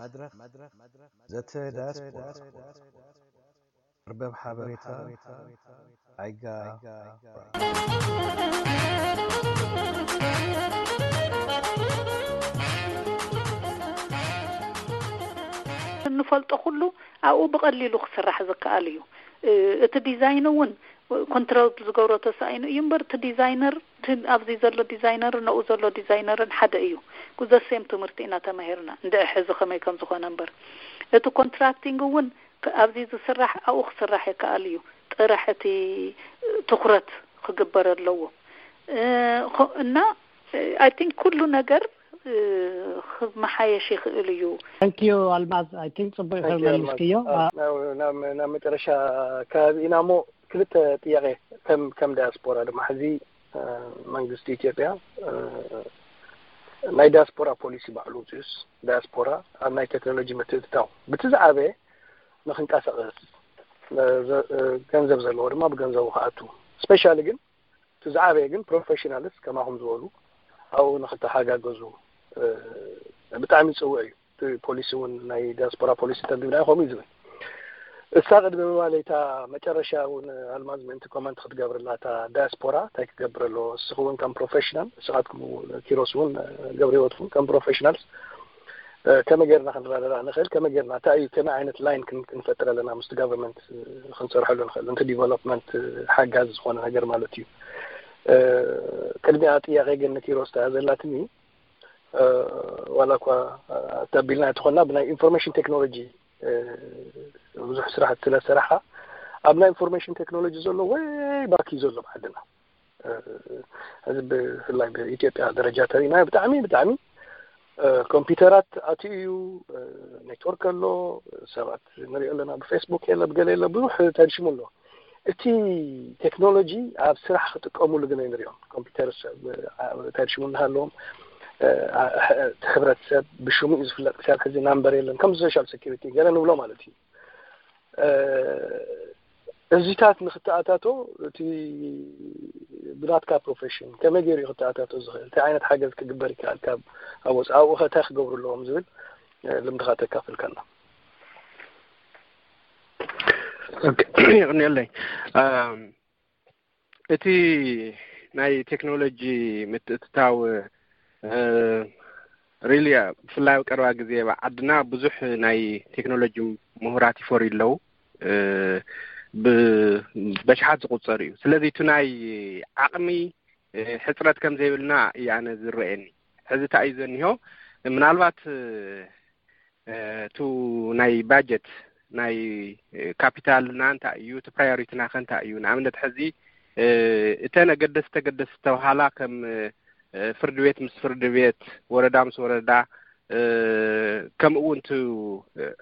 መድረኽ ዘተ ዳያስፖራ፣ መርበብ ሓበሬታ ኣይጋ። እንፈልጦ ኩሉ ኣብኡ ብቐሊሉ ክስራሕ ዝከኣል እዩ። እቲ ዲዛይን እውን ኮንትራክት ዝገብሮ ተሳኢኑ እዩ እምበር፣ እቲ ዲዛይነር፣ እቲ ኣብዚ ዘሎ ዲዛይነር፣ ነኡ ዘሎ ዲዛይነርን ሓደ እዩ። ጉዘሴም ትምህርቲ ኢና ተማሂርና። እንድዒ ሕዚ ከመይ ከም ዝኾነ እምበር፣ እቲ ኮንትራክቲንግ እውን ኣብዚ ዝስራሕ ኣብኡ ክስራሕ ይከኣል እዩ። ጥራሕ እቲ ትኹረት ክግበር ኣለዎ እና ኣይ ቲንክ ኩሉ ነገር ክመሓየሽ ይኽእል እዩ። Thank you ኣልማዝ። I think ጽቡቅ ይኽእል መሊስክዮ። ናብ መጨረሻ ከባቢ ኢና እሞ ክልተ ጥያቄ ከም ከም ዳያስፖራ ድማ ሕዚ መንግስቲ ኢትዮጵያ ናይ ዳያስፖራ ፖሊሲ ባዕሉ ውፅኡስ ዳያስፖራ ኣብ ናይ ቴክኖሎጂ ምትእትታው ብቲ ዝዓበየ ንክንቀሳቀስ ገንዘብ ዘለዎ ድማ ብገንዘቡ ክኣቱ ስፔሻሊ ግን እቲ ዝዓበየ ግን ፕሮፌሽናልስ ከማኹም ዝበሉ ኣብኡ ንክተሓጋገዙ ብጣዕሚ ዝፅውዕ እዩ። እቲ ፖሊሲ እውን ናይ ዲያስፖራ ፖሊሲ ተንቢብና ከምኡ እዩ ዝብል። እሳ ቅድሚ ምባለይታ መጨረሻ እውን ኣልማዝ ምእንቲ ኮመንት ክትገብርላ እታ ዳያስፖራ እንታይ ክገብር ኣለዎ። እስኺ እውን ከም ፕሮፌሽናል እስኻትኩም ኪሮስ እውን ገብረ ህይወት እውን ከም ፕሮፌሽናልስ ከመይ ጌርና ክንረዳዳእ ንኽእል፣ ከመይ ጌርና እንታይ እዩ ከመይ ዓይነት ላይን ክንፈጥር ኣለና ምስቲ ጋቨርንመንት ክንሰርሐሉ ንኽእል፣ ነቲ ዲቨሎፕመንት ሓጋዚ ዝኾነ ነገር ማለት እዩ። ቅድሚያ ጥያቄ ግን ንኪሮስ ተያ ዘላትኒ ዋላ እኳ ተቢልና ተኾና ብናይ ኢንፎርሜሽን ቴክኖሎጂ ብዙሕ ስራሕ ስለሰራሕካ ኣብ ናይ ኢንፎርሜሽን ቴክኖሎጂ ዘሎ ወይ ባክ እዩ ዘሎ ብዓድና እዚ ብፍላይ ብኢትዮጵያ ደረጃ ተሪእና ብጣዕሚ ብጣዕሚ ኮምፒውተራት ኣትዩ እዩ። ኔትወርክ ኣሎ፣ ሰባት ንሪኦ ኣለና፣ ብፌስቡክ የለ ብገለ የለ ብዙሕ ተድሽሙ ኣሎ። እቲ ቴክኖሎጂ ኣብ ስራሕ ክጥቀሙሉ ግን ኣይንሪኦም። ኮምፒውተር ተድሽሙ እናሃለዎም እቲ ሕብረተሰብ ብሽሙ እዩ ዝፍለጥ። ክሳብ ሕዚ ናምበር የለን ከም ሶሻል ሴኪሪቲ ገለ ንብሎ ማለት እዩ። እዚታት ንክተኣታቶ እቲ ብናትካ ፕሮፌሽን ከመይ ገይሩ እዩ ክተኣታቶ ዝኽእል? እንታይ ዓይነት ሓገዝ ክግበር ይከኣል? ካብ ኣብ ወፃኢ ኣብኡ ከ እንታይ ክገብሩ ኣለዎም ዝብል ልምድኻ ተካፍልካና። ይቕንየለይ። እቲ ናይ ቴክኖሎጂ ምትእትታው ሪሊ ብፍላይ ኣብ ቀረባ ግዜ ኣብ ዓድና ብዙሕ ናይ ቴክኖሎጂ ምሁራት ይፈርዩ ኣለዉ። ብኣሽሓት ዝቑጸር እዩ። ስለዚ እቲ ናይ ዓቕሚ ሕጽረት ከም ዘይብልና እዩ ኣነ ዝረኣየኒ። ሕዚ እንታይ እዩ ዘኒሆ? ምናልባት እቲ ናይ ባጀት ናይ ካፒታልና እንታይ እዩ፣ እቲ ፕራዮሪቲና ከ እንታይ እዩ? ንኣብነት ሕዚ እተን ኣገደስቲ ኣገደስቲ ዝተባሃላ ከም ፍርዲ ቤት ምስ ፍርዲ ቤት፣ ወረዳ ምስ ወረዳ፣ ከምኡ እውን እቲ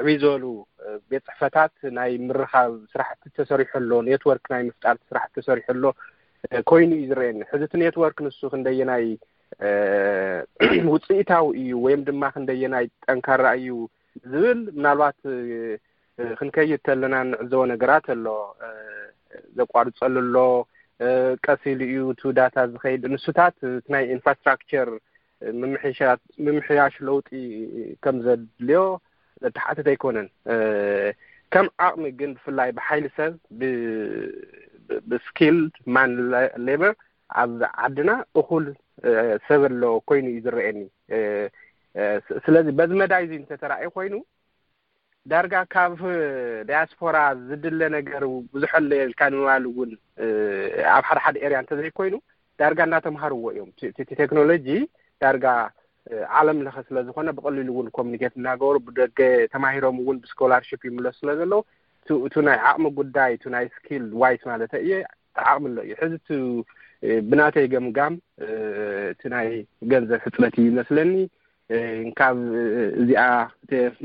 ዕብይ ዝበሉ ቤት ፅሕፈታት ናይ ምርኻብ ስራሕቲ ተሰሪሑ ኣሎ፣ ኔትወርክ ናይ ምፍጣር ስራሕቲ ተሰሪሑ ኣሎ ኮይኑ እዩ ዝረአየኒ። ሕዚ እቲ ኔትወርክ ንሱ ክንደየናይ ውፅኢታዊ እዩ ወይም ድማ ክንደየናይ ጠንካራ እዩ ዝብል ምናልባት ክንከይድ ተለና እንዕዘቦ ነገራት ኣሎ። ዘቋርፀሉ ኣሎ፣ ቀስ ኢሉ እዩ እቲ ዳታ ዝኸይድ። ንሱታት እቲ ናይ ኢንፍራስትራክቸር ምምሕያሽ ለውጢ ከም ዘድልዮ ዘተሓትት ኣይኮነን። ከም ዓቕሚ ግን ብፍላይ ብሓይሊ ሰብ ብስኪልድ ማን ሌበር ኣብ ዓድና እኹል ሰብ ኣሎ ኮይኑ እዩ ዝረአየኒ። ስለዚ በዚ መዳይ እዚ እንተተራእዩ ኮይኑ ዳርጋ ካብ ዳያስፖራ ዝድለ ነገር ብዙሕ ኣሎ ኢልካ ንምባል እውን ኣብ ሓደ ሓደ ኤርያ እንተዘይኮይኑ ዳርጋ እናተምሃርዎ እዮም። እቲ ቴክኖሎጂ ዳርጋ ዓለም ለኸ ስለ ዝኾነ ብቐሊሉ እውን ኮሚኒኬት እናገበሩ ብደገ ተማሂሮም እውን ብስኮላርሽፕ ይምለሱ ስለ ዘለዉ እቱ ናይ ዓቕሚ ጉዳይ እቱ ናይ ስኪል ዋይስ ማለት እየ ዓቕሚ ኣሎ እዩ። ሕዚ እቲ ብናተይ ገምጋም እቲ ናይ ገንዘብ ሕፅረት እዩ ይመስለኒ። ካብ እዚኣ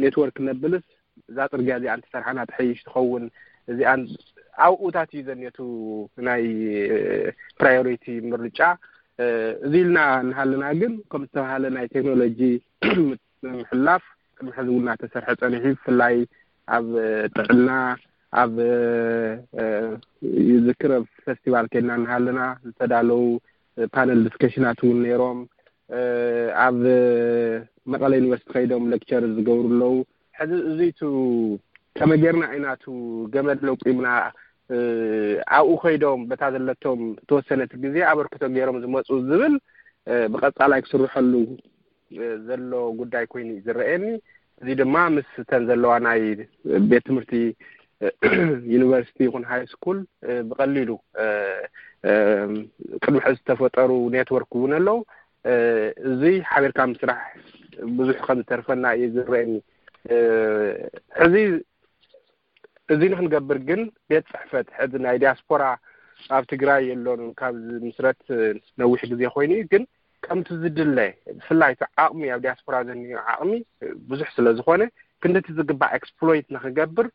ኔትወርክ ነብልስ እዛ ፅርግያ እዚኣ እንተሰርሓና ትሐይሽ ትኸውን። እዚኣን ኣብኡታት እዩ ዘንየቱ ናይ ፕራዮሪቲ ምርጫ። እዚ ኢልና እናሃለና ግን ከም ዝተባሃለ ናይ ቴክኖሎጂ ምሕላፍ ቅድሚ ሕዚ እውን እናተሰርሐ ፀኒሑ ብፍላይ ኣብ ጥዕና ኣብ ዝክር ኣብ ፈስቲቫል ከድና እናሃለና ዝተዳለዉ ፓነል ዲስከሽናት እውን ነይሮም። ኣብ መቐለ ዩኒቨርሲቲ ከይዶም ሌክቸር ዝገብሩ ኣለዉ። ሕዚ እዚቱ ከመይ ጌርና ኢና እቲ ገመድ ለቂምና ኣብኡ ከይዶም በታ ዘለቶም ተወሰነት ግዜ ኣበርክቶ ገይሮም ዝመፁ ዝብል ብቐፃላይ ክስርሐሉ ዘሎ ጉዳይ ኮይኑ እዩ ዝረአየኒ። እዚ ድማ ምስ ተን ዘለዋ ናይ ቤት ትምህርቲ ዩኒቨርሲቲ ይኹን ሃይ ስኩል ብቐሊሉ ቅድሚ ሕዚ ዝተፈጠሩ ኔትወርክ እውን ኣለዉ። እዚ ሓቢርካ ምስራሕ ብዙሕ ከም ዝተርፈና እዩ ዝረአየኒ። ሕዚ እዚ ንክንገብር ግን ቤት ፅሕፈት ሕዚ ናይ ዲያስፖራ ኣብ ትግራይ የሎን። ካብ ምስረት ነዊሕ ግዜ ኮይኑ እዩ፣ ግን ከምቲ ዝድለ ብፍላይ እቲ ዓቕሚ ኣብ ዲያስፖራ ዘንዮ ዓቕሚ ብዙሕ ስለ ዝኾነ ክንድቲ ዝግባእ ኤክስፕሎይት ንክገብር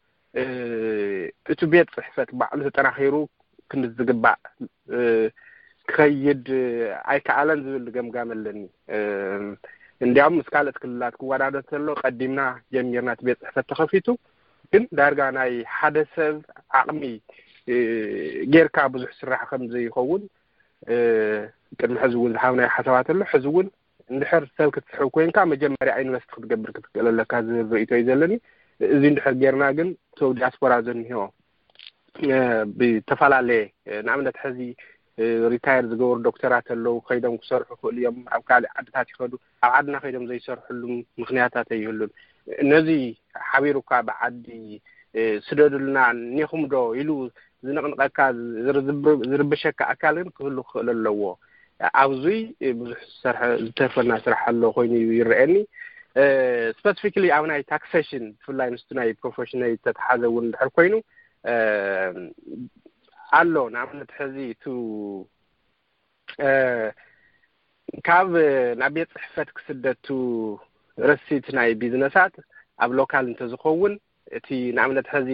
እቲ ቤት ፅሕፈት ባዕሉ ተጠናኺሩ ክንድቲ ዝግባእ ክኸይድ ኣይከኣለን ዝብል ገምጋም ኣለኒ። እንዲያውም ምስ ካልኦት ክልላት ክወዳደር ተሎ ቀዲምና ጀሚርና እቲ ቤት ፅሕፈት ተኸፊቱ፣ ግን ዳርጋ ናይ ሓደ ሰብ ዓቕሚ ጌርካ ብዙሕ ስራሕ ከም ዘይኸውን ቅድሚ ሕዚ እውን ዝሃብናዮ ሓሳባት ኣሎ። ሕዚ እውን እንድሕር ሰብ ክትስሕብ ኮይንካ መጀመርያ ኢንቨስት ክትገብር ክትክእል ኣለካ ዝብል ርእይቶ እዩ ዘለኒ። እዚ እንድሕር ጌርና ግን ሰብ ዲያስፖራ ዘንሆ ብተፈላለየ ንኣብነት ሕዚ ሪታየር ዝገበሩ ዶክተራት ኣለዉ፣ ከይዶም ክሰርሑ ክእሉ እዮም። ኣብ ካልእ ዓድታት ይኸዱ፣ ኣብ ዓድና ከይዶም ዘይሰርሕሉ ምክንያታት ኣይህሉን። ነዚ ሓቢሩ እኳ ብዓዲ ስደዱልና ኒኹም ዶ ኢሉ ዝንቕንቐካ ዝርብሸካ ኣካል ግን ክህሉ ክኽእል ኣለዎ። ኣብዙይ ብዙሕ ዝሰርሐ ዝተርፈና ስራሕ ኣሎ ኮይኑ ይረአየኒ። ስፐሲፊክሊ ኣብ ናይ ታክሴሽን ብፍላይ ምስቲ ናይ ፕሮፌሽናል ዝተተሓዘ እውን እንድሕር ኮይኑ ኣሎ። ንኣብነት ሕዚ እቱ ካብ ናብ ቤት ፅሕፈት ክስደቱ ረሲት ናይ ቢዝነሳት ኣብ ሎካል እንተዝኸውን እቲ ንኣብነት ሕዚ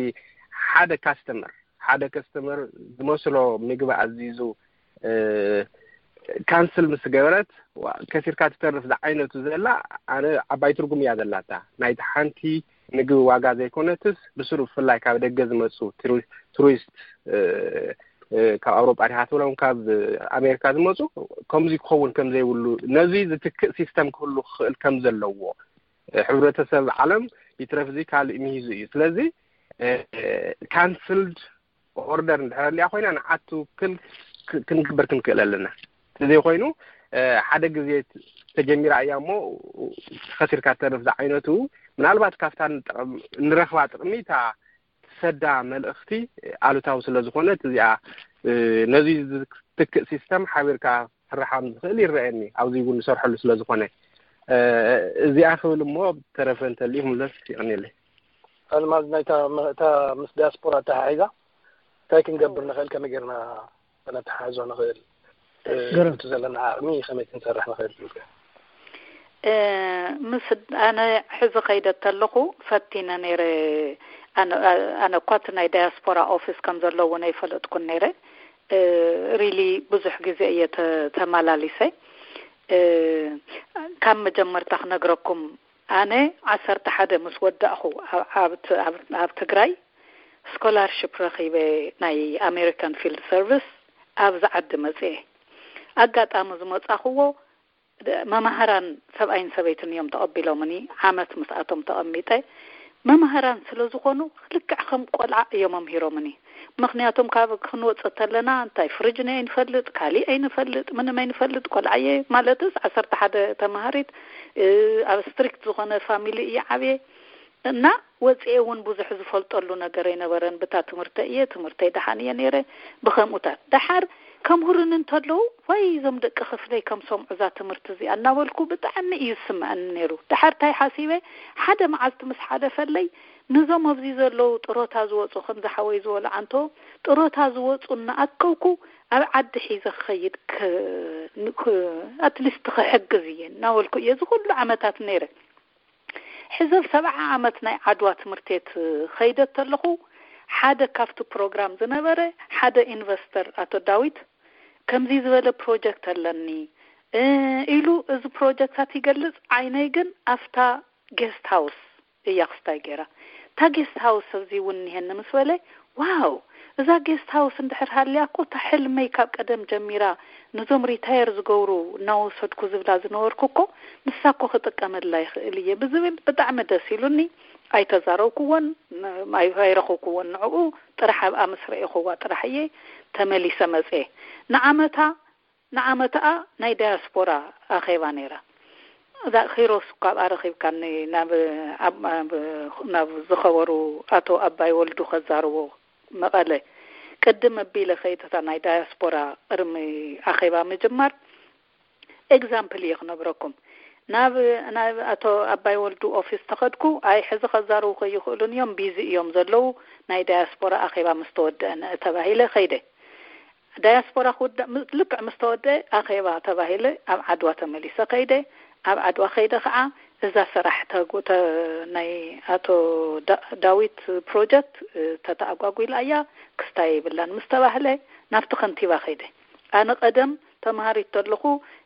ሓደ ካስተመር ሓደ ከስተመር ዝመስሎ ምግቢ ኣዚዙ ካንስል ምስ ገበረት ከሲርካ ትተርፍ ዝዓይነቱ ዘላ ኣነ ዓባይ ትርጉም እያ ዘላታ። ናይቲ ሓንቲ ምግቢ ዋጋ ዘይኮነትስ ብስሩ ብፍላይ ካብ ደገ ዝመፁ ቱሪስት ካብ ኣውሮጳ ዲካ ትብሎም ካብ ኣሜሪካ ዝመፁ ከምዚ ክኸውን ከም ዘይብሉ ነዚ ዝትክእ ሲስተም ክህሉ ክኽእል ከም ዘለዎ ሕብረተሰብ ዓለም ይትረፍ እዚ ካልእ ሚሂዙ እዩ። ስለዚ ካንስልድ ኦርደር እንድሕር ኣሊያ ኮይና ንዓቱ ክል ክንግበር ክንክእል ኣለና። እንተዘይ ኮይኑ ሓደ ግዜ ተጀሚራ እያ እሞ ከሲርካ ተርፍ ዝዓይነቱ ምናልባት ካብታ ንረኽባ ጥቕሚ እታ ትሰዳ መልእኽቲ ኣሉታዊ ስለ ዝኾነት እዚኣ ነዚ ዝትክእ ሲስተም ሓቢርካ ክስራሕ ከም ዝኽእል ይረኣየኒ። ኣብዚ እውን ንሰርሐሉ ስለ ዝኾነ እዚኣ ክብል እሞ ተረፈ እንተልዩ ክምለስ ይቐንየለይ። ኣልማዝ ናይታ እታ ምስ ዲያስፖራ ኣተሓሒዛ እንታይ ክንገብር ንኽእል ከመይ ጌርና ከነተሓሕዞ ንኽእል እቲ ዘለና ዓቕሚ ከመይ ክንሰርሕ ንኽእል ትብል? ምስ ኣነ ሕዚ ከይደ ተለኹ ፈቲነ ነይረ። ኣነ እኳ እቲ ናይ ዳያስፖራ ኦፊስ ከም ዘሎ እውን ኣይፈለጥኩን ነይረ። ሪሊ ብዙሕ ግዜ እየ ተመላሊሰ። ካብ መጀመርታ ክነግረኩም፣ ኣነ ዓሰርተ ሓደ ምስ ወዳእኹ ኣብ ትግራይ ስኮላርሽፕ ረኺበ፣ ናይ ኣሜሪካን ፊልድ ሰርቪስ ኣብዚ ዓዲ መፅኤ። ኣጋጣሚ ዝመፃኽዎ መማህራን ሰብኣይን ሰበይትን እዮም ተቐቢሎምኒ። ዓመት ምስኣቶም ተቐሚጠ። መማህራን ስለ ዝኾኑ ልክዕ ከም ቆልዓ እዮም ኣምሂሮምኒ። ምኽንያቱም ካብ ክንወፅእ ተለና እንታይ ፍርጅን ኣይንፈልጥ፣ ካሊእ ኣይንፈልጥ፣ ምንም ኣይንፈልጥ። ቆልዓ እየ ማለትስ ዓሰርተ ሓደ ተማሃሪት ኣብ ስትሪክት ዝኾነ ፋሚሊ እየ ዓብየ እና ወፅኤ እውን ብዙሕ ዝፈልጠሉ ነገር ኣይነበረን። ብታ ትምህርተ እየ ትምህርተይ ደሓን እየ ነይረ። ብከምኡታት ደሓር ከምህሩኒ እንተለዉ ወይ እዞም ደቂ ክፍለይ ከም ሰምዑ እዛ ትምህርቲ እዚኣ እናበልኩ ብጣዕሚ እዩ ዝስምዐኒ ነይሩ። ደሓር እንታይ ሓሲበ፣ ሓደ መዓልቲ ምስ ሓለፈለይ ነዞም ኣብዚ ዘለዉ ጥሮታ ዝወፁ ከም ዝሓወይ ዝበሉ ዓንቶ ጥሮታ ዝወፁ እናኣከብኩ ኣብ ዓዲ ሒዘ ክኸይድ ኣትሊስት ክሕግዝ እየ እናበልኩ እየ እዚ ኩሉ ዓመታት ነይረ። ሕዚ ኣብ ሰብዓ ዓመት ናይ ዓድዋ ትምህርት ቤት ኸይደ ተለኹ ሓደ ካብቲ ፕሮግራም ዝነበረ ሓደ ኢንቨስተር ኣቶ ዳዊት ከምዚ ዝበለ ፕሮጀክት ኣለኒ ኢሉ እዚ ፕሮጀክታት ይገልጽ። ዓይነይ ግን ኣብታ ጌስት ሃውስ እያ ክስታይ ገይራ። እታ ጌስት ሃውስ ኣብዚ እውን እኒሀኒ ምስ በለ፣ ዋው፣ እዛ ጌስት ሃውስ እንድሕር ሃልያ እኮ እታ ሕልመይ ካብ ቀደም ጀሚራ፣ ነዞም ሪታየር ዝገብሩ እናወሰድኩ ዝብላ ዝነበርኩ እኮ፣ ንሳ እኮ ክጥቀመላ ይኽእል እየ ብዝብል ብጣዕሚ ደስ ኢሉኒ። ኣይተዛረብኩዎን፣ ን-፣ ኣይ-፣ ኣይረኸብኩዎን። ንዕኡ ጥራሕ ኣብኣ ምስ ረኤኹዋ ጥራሕ እየ ተመሊሰ መፅየ። ንዓመታ ንዓመታኣ ናይ ዳያስፖራ ኣኼባ ነይራ። እዛ ኪሮስ እኳ ኣብኣ ረኺብካኒ፣ ናብ፣ ኣብ፣ ኣብ፣ ናብ ዝኸበሩ ኣቶ ኣባይ ወልዱ ከዛርቦ መቐለ ቅድም ኣቢለ ከይተታ ናይ ዳያስፖራ ቅድሚ ኣኼባ ምጅማር ኤግዛምፕል እየ ክነግረኩም። ናብ፣ ናብ ኣቶ ኣባይ ወልዱ ኦፊስ ተኸድኩ። ኣይ፣ ሕዚ ከዛርቡ ከይኽእሉን እዮም፣ ቢዚ እዮም ዘለዉ፣ ናይ ዳያስፖራ ኣኼባ ምስ ተወደአ ንእ ተባሂለ ከይደ። ዳያስፖራ ክውዳእ ም-፣ ልክዕ ምስ ተወደአ ኣኼባ ተባሂለ ኣብ ዓድዋ ተመሊሰ ከይደ። ኣብ ዓድዋ ከይደ ከዓ እዛ ስራሕ ተጉ-፣ ተ-፣ ናይ ኣቶ ዳ-፣ ዳዊት ፕሮጀክት፣ እ፣ ተተኣጓጒላ እያ፣ ክስታይ የብላን ምስ ተባህለ ናብቲ ከንቲባ ከይደ። ኣነ ቀደም ተምሃሪት ተለኹ፣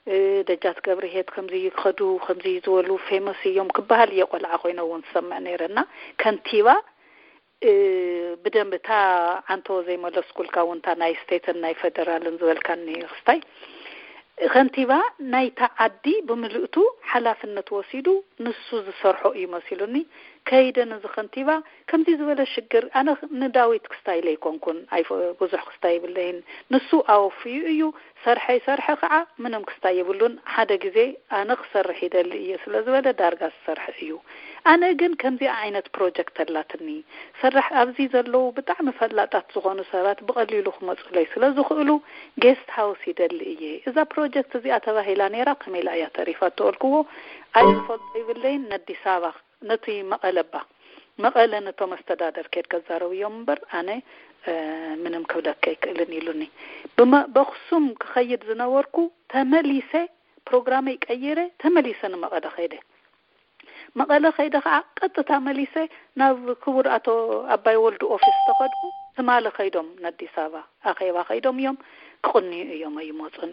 እ፣ ደጃት ገብርሄት ከምዚ ይኸዱ፣ ከምዚ ዝበሉ ፌመስ እዮም ክበሃል እየ ቆልዓ ኮይነ እውን ዝሰምዕ ነይረ። እና ከንቲባ፣ እ፣ ብደንቢ እታ ዓንቶ ዘይመለስኩልካ እውን እታ ናይ ስቴትን ናይ ፌደራልን ዝበልካኒ ክስታይ፣ ከንቲባ ናይታ ዓዲ ብምልእቱ ሓላፍነት ወሲዱ ንሱ ዝሰርሖ እዩ መሲሉኒ። ከይደ ነዚ ከንቲባ ከምዚ ዝበለ ሽግር፣ ኣነ ንዳዊት ክስታይ ለይኮንኩን ኣይፈ-፣ ብዙሕ ክስታይ ይብለይን፣ ንሱ ኣወፍዩ እዩ፣ ሰርሐ ይሰርሐ ከዓ ምንም ክስታይ የብሉን። ሓደ ግዜ ኣነ ክሰርሕ ይደሊ እየ ስለ ዝበለ ዳርጋ ዝሰርሐ እዩ። ኣነ ግን ከምዚኣ ዓይነት ፕሮጀክት ኣላትኒ። ሰራሕ ኣብዚ ዘለዉ ብጣዕሚ ፈላጣት ዝኾኑ ሰባት ብቐሊሉ ክመፁለይ ስለ ዝኽእሉ ጌስት ሃውስ ይደሊ እየ። እዛ ፕሮጀክት እዚኣ ተባሂላ ነይራ፣ ከመይ ኢላ እያ ተሪፋ ተበልክዎ፣ ኣይፈልጦ ይብለይን። ነዲስ ኣበባ፣ ነቲ መቐለ እባ፣ መቐለ ነቶም ኣስተዳደር ኬድ ከዛረብዮም እምበር ኣነ፣ እ፣ ምንም ክብለካ ኣይክእልን ኢሉኒ። ብመ-፣ በኽሱም ክኸይድ ዝነበርኩ ተመሊሰ ፕሮግራመይ ቀይረ ተመሊሰ ንመቐለ ከይደ። መቐለ ከይደ ከዓ ቀጥታ መሊሰ ናብ ክቡር ኣቶ ኣባይ ወልዱ ኦፊስ ተኸድኩ። ትማሊ ከይዶም፣ ንኣዲስ ኣበባ ኣኼባ ከይዶም እዮም፣ ክቕንዩ እዮም፣ ኣይመፁን።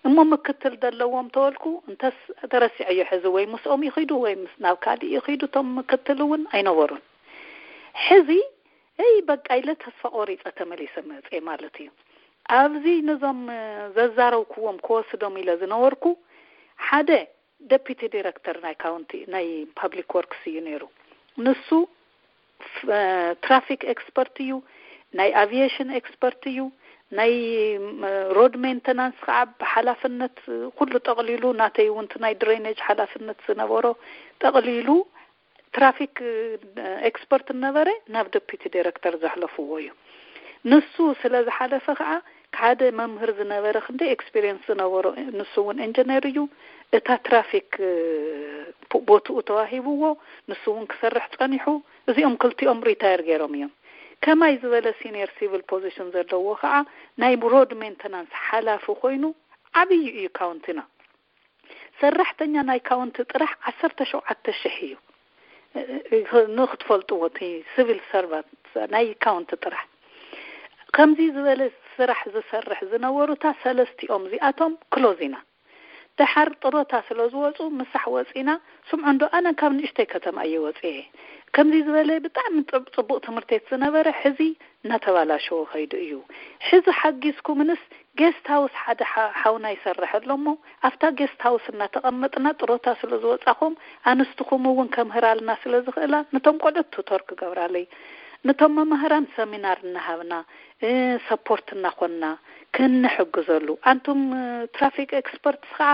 እሞ ምክትል ዘለዎም ተበልኩ። እንተስ ተረሲዐዮ ሕዚ፣ ወይ ምስኦም ይኺዱ ወይ ምስ፣ ናብ ካልእ ይኺዱ። እቶም ምክትል እውን ኣይነበሩን። ሕዚ፣ እይ፣ በቃ ኢለ ተስፋ ቆሪፀ ተመሊሰ መፅየ ማለት እዩ። ኣብዚ ነዞም፣ እ፣ ዘዛረብኩዎም ክወስዶም ኢለ ዝነበርኩ፣ ሓደ ደፒቲ ዲረክተር ናይ ካውንቲ፣ ናይ ፓብሊክ ወርክስ እዩ ነይሩ። ንሱ ፍ-፣ እ፣ ትራፊክ ኤክስፐርት እዩ፣ ናይ ኣቪዬሽን ኤክስፐርት እዩ፣ ናይ፣ ም፣ ሮድ ሜንተናንስ ከዓ ብሓላፍነት ኩሉ ጠቕሊሉ፣ ናተይ እውን እቲ ናይ ድሬኔጅ ሓላፍነት ዝነበሮ ጠቕሊሉ፣ ትራፊክ፣ እ፣ ኤክስፐርት ነበረ፣ ናብ ደፒቲ ዲረክተር ዘሕለፍዎ እዩ። ንሱ ስለ ዝሓለፈ ከዓ ሓደ መምህር ዝነበረ፣ ክንደይ ኤክስፒሪየንስ ዝነበሮ፣ ንሱ እውን ኢንጂነር እዩ። እታ ትራፊክ፣ እ፣ ፖ-፣ ቦትኡ ተዋሂብዎ፣ ንሱ እውን ክሰርሕ ጸኒሑ። እዚኦም ክልቲኦም ሪታየር ገይሮም እዮም። ከማይ ዝበለ ሲኒየር ሲቪል ፖዚሽን ዘለዎ ከዓ ናይ ሮድ ሜንተናንስ ሓላፊ ኮይኑ፣ ዓብዪ እዩ ካውንቲና። ሰራሕተኛ ናይ ካውንቲ ጥራሕ ዓሰርተ ሸውዓተ ሽሕ እዩ። እ-፣ እ-፣ ንክትፈልጥዎ፣ እቲ ሲቪል ሰርቫንት ናይ ካውንቲ ጥራሕ። ከምዚ ዝበለ ስራሕ ዝሰርሕ ዝነበሩ፣ እታ ሰለስቲኦም እዚኣቶም ክሎዝ ኢና። ደሓር ጥሮታ ስለ ዝወፁ፣ ምሳሕ ወፂና፣ ስምዑ እንዶ፣ ኣነ ካብ ንእሽተይ ከተማ እየ ወፅየ። ከምዚ ዝበለ ብጣዕሚ ጥብ-፣ ፅቡቕ ትምህርቴት ዝነበረ፣ ሕዚ እናተባላሸወ ኸይዱ እዩ። ሕዚ ሓጊዝኩምንስ፣ ጌስት ሃውስ ሓደ ሓ-፣ ሓውና ይሰርሕ ኣሎ እሞ፣ ኣብታ ጌስት ሃውስ እናተቐመጥና ጥሮታ ስለ ዝወጻኹም፣ ኣንስትኹም እውን ከምህራልና ስለ ዝኽእላ፣ ነቶም ቆልዑት ቱቶር ክገብራለይ፣ ነቶም መማህራን ሰሚናር እናሃብና፣ እ፣ ሰፖርት እናኾንና ክንሕግዘሉ። ኣንቱም፣ እ፣ ትራፊክ ኤክስፐርትስ ኸዓ፣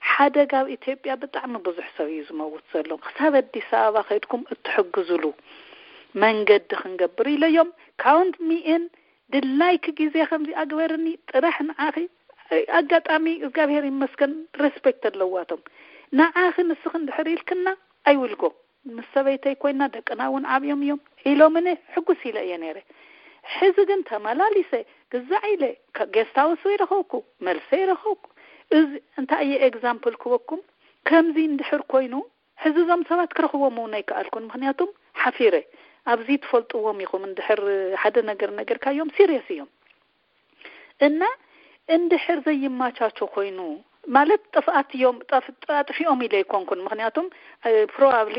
ሓደጋ ኣብ ኢትዮጵያ ብጣዕሚ ብዙሕ ሰብ እዩ ዝመውት ዘሎ። ክሳብ ኣዲስ ኣበባ ከይድኩም እትሕግዙሉ መንገዲ ክንገብር ኢለዮም። ካውንት ሚ ኢን፣ ድላይኪ ግዜ ከምዚ ኣግበርኒ፣ ጥራሕ ንዓኺ። ኣጋጣሚ እግዚኣብሔር ይመስገን፣ ሬስፔክት ኣለዋቶም። ንዓኺ ንስኺ እንድሕር ኢልክና፣ ኣይውልጎ። ምስ ሰበይተይ ኮይና፣ ደቅና እውን ዓብዮም እዮም ኢሎምኒ፣ ሕጉስ ኢለ እየ ነይረ። ሕዚ ግን ተመላሊሰ፣ ግዛዕ ኢለ፣ ከ-፣ ጌስት ሃውስ ይረኸብኩ፣ መልሰ ይረኸብኩ። እዚ እንታይ እየ ኤግዛምፕል ክበኩም? ከምዚ እንድሕር ኮይኑ፣ ሕዚ እዞም ሰባት ክረኽቦም እውን ኣይከኣልኩን፣ ምኽንያቱም ሓፊረ። ኣብዚ ትፈልጥዎም ኢኹም፣ እንድሕር ሓደ ነገር ነገርካዮም፣ ሲሪየስ እዮም። እና እንድሕር ዘይማቻቾ ኮይኑ፣ ማለት ጥፍኣት እዮም፣ ጠፍ- ኣጥፊኦም ኢለ ኣይኮንኩን። ምክንያቱም ፕሮባብሊ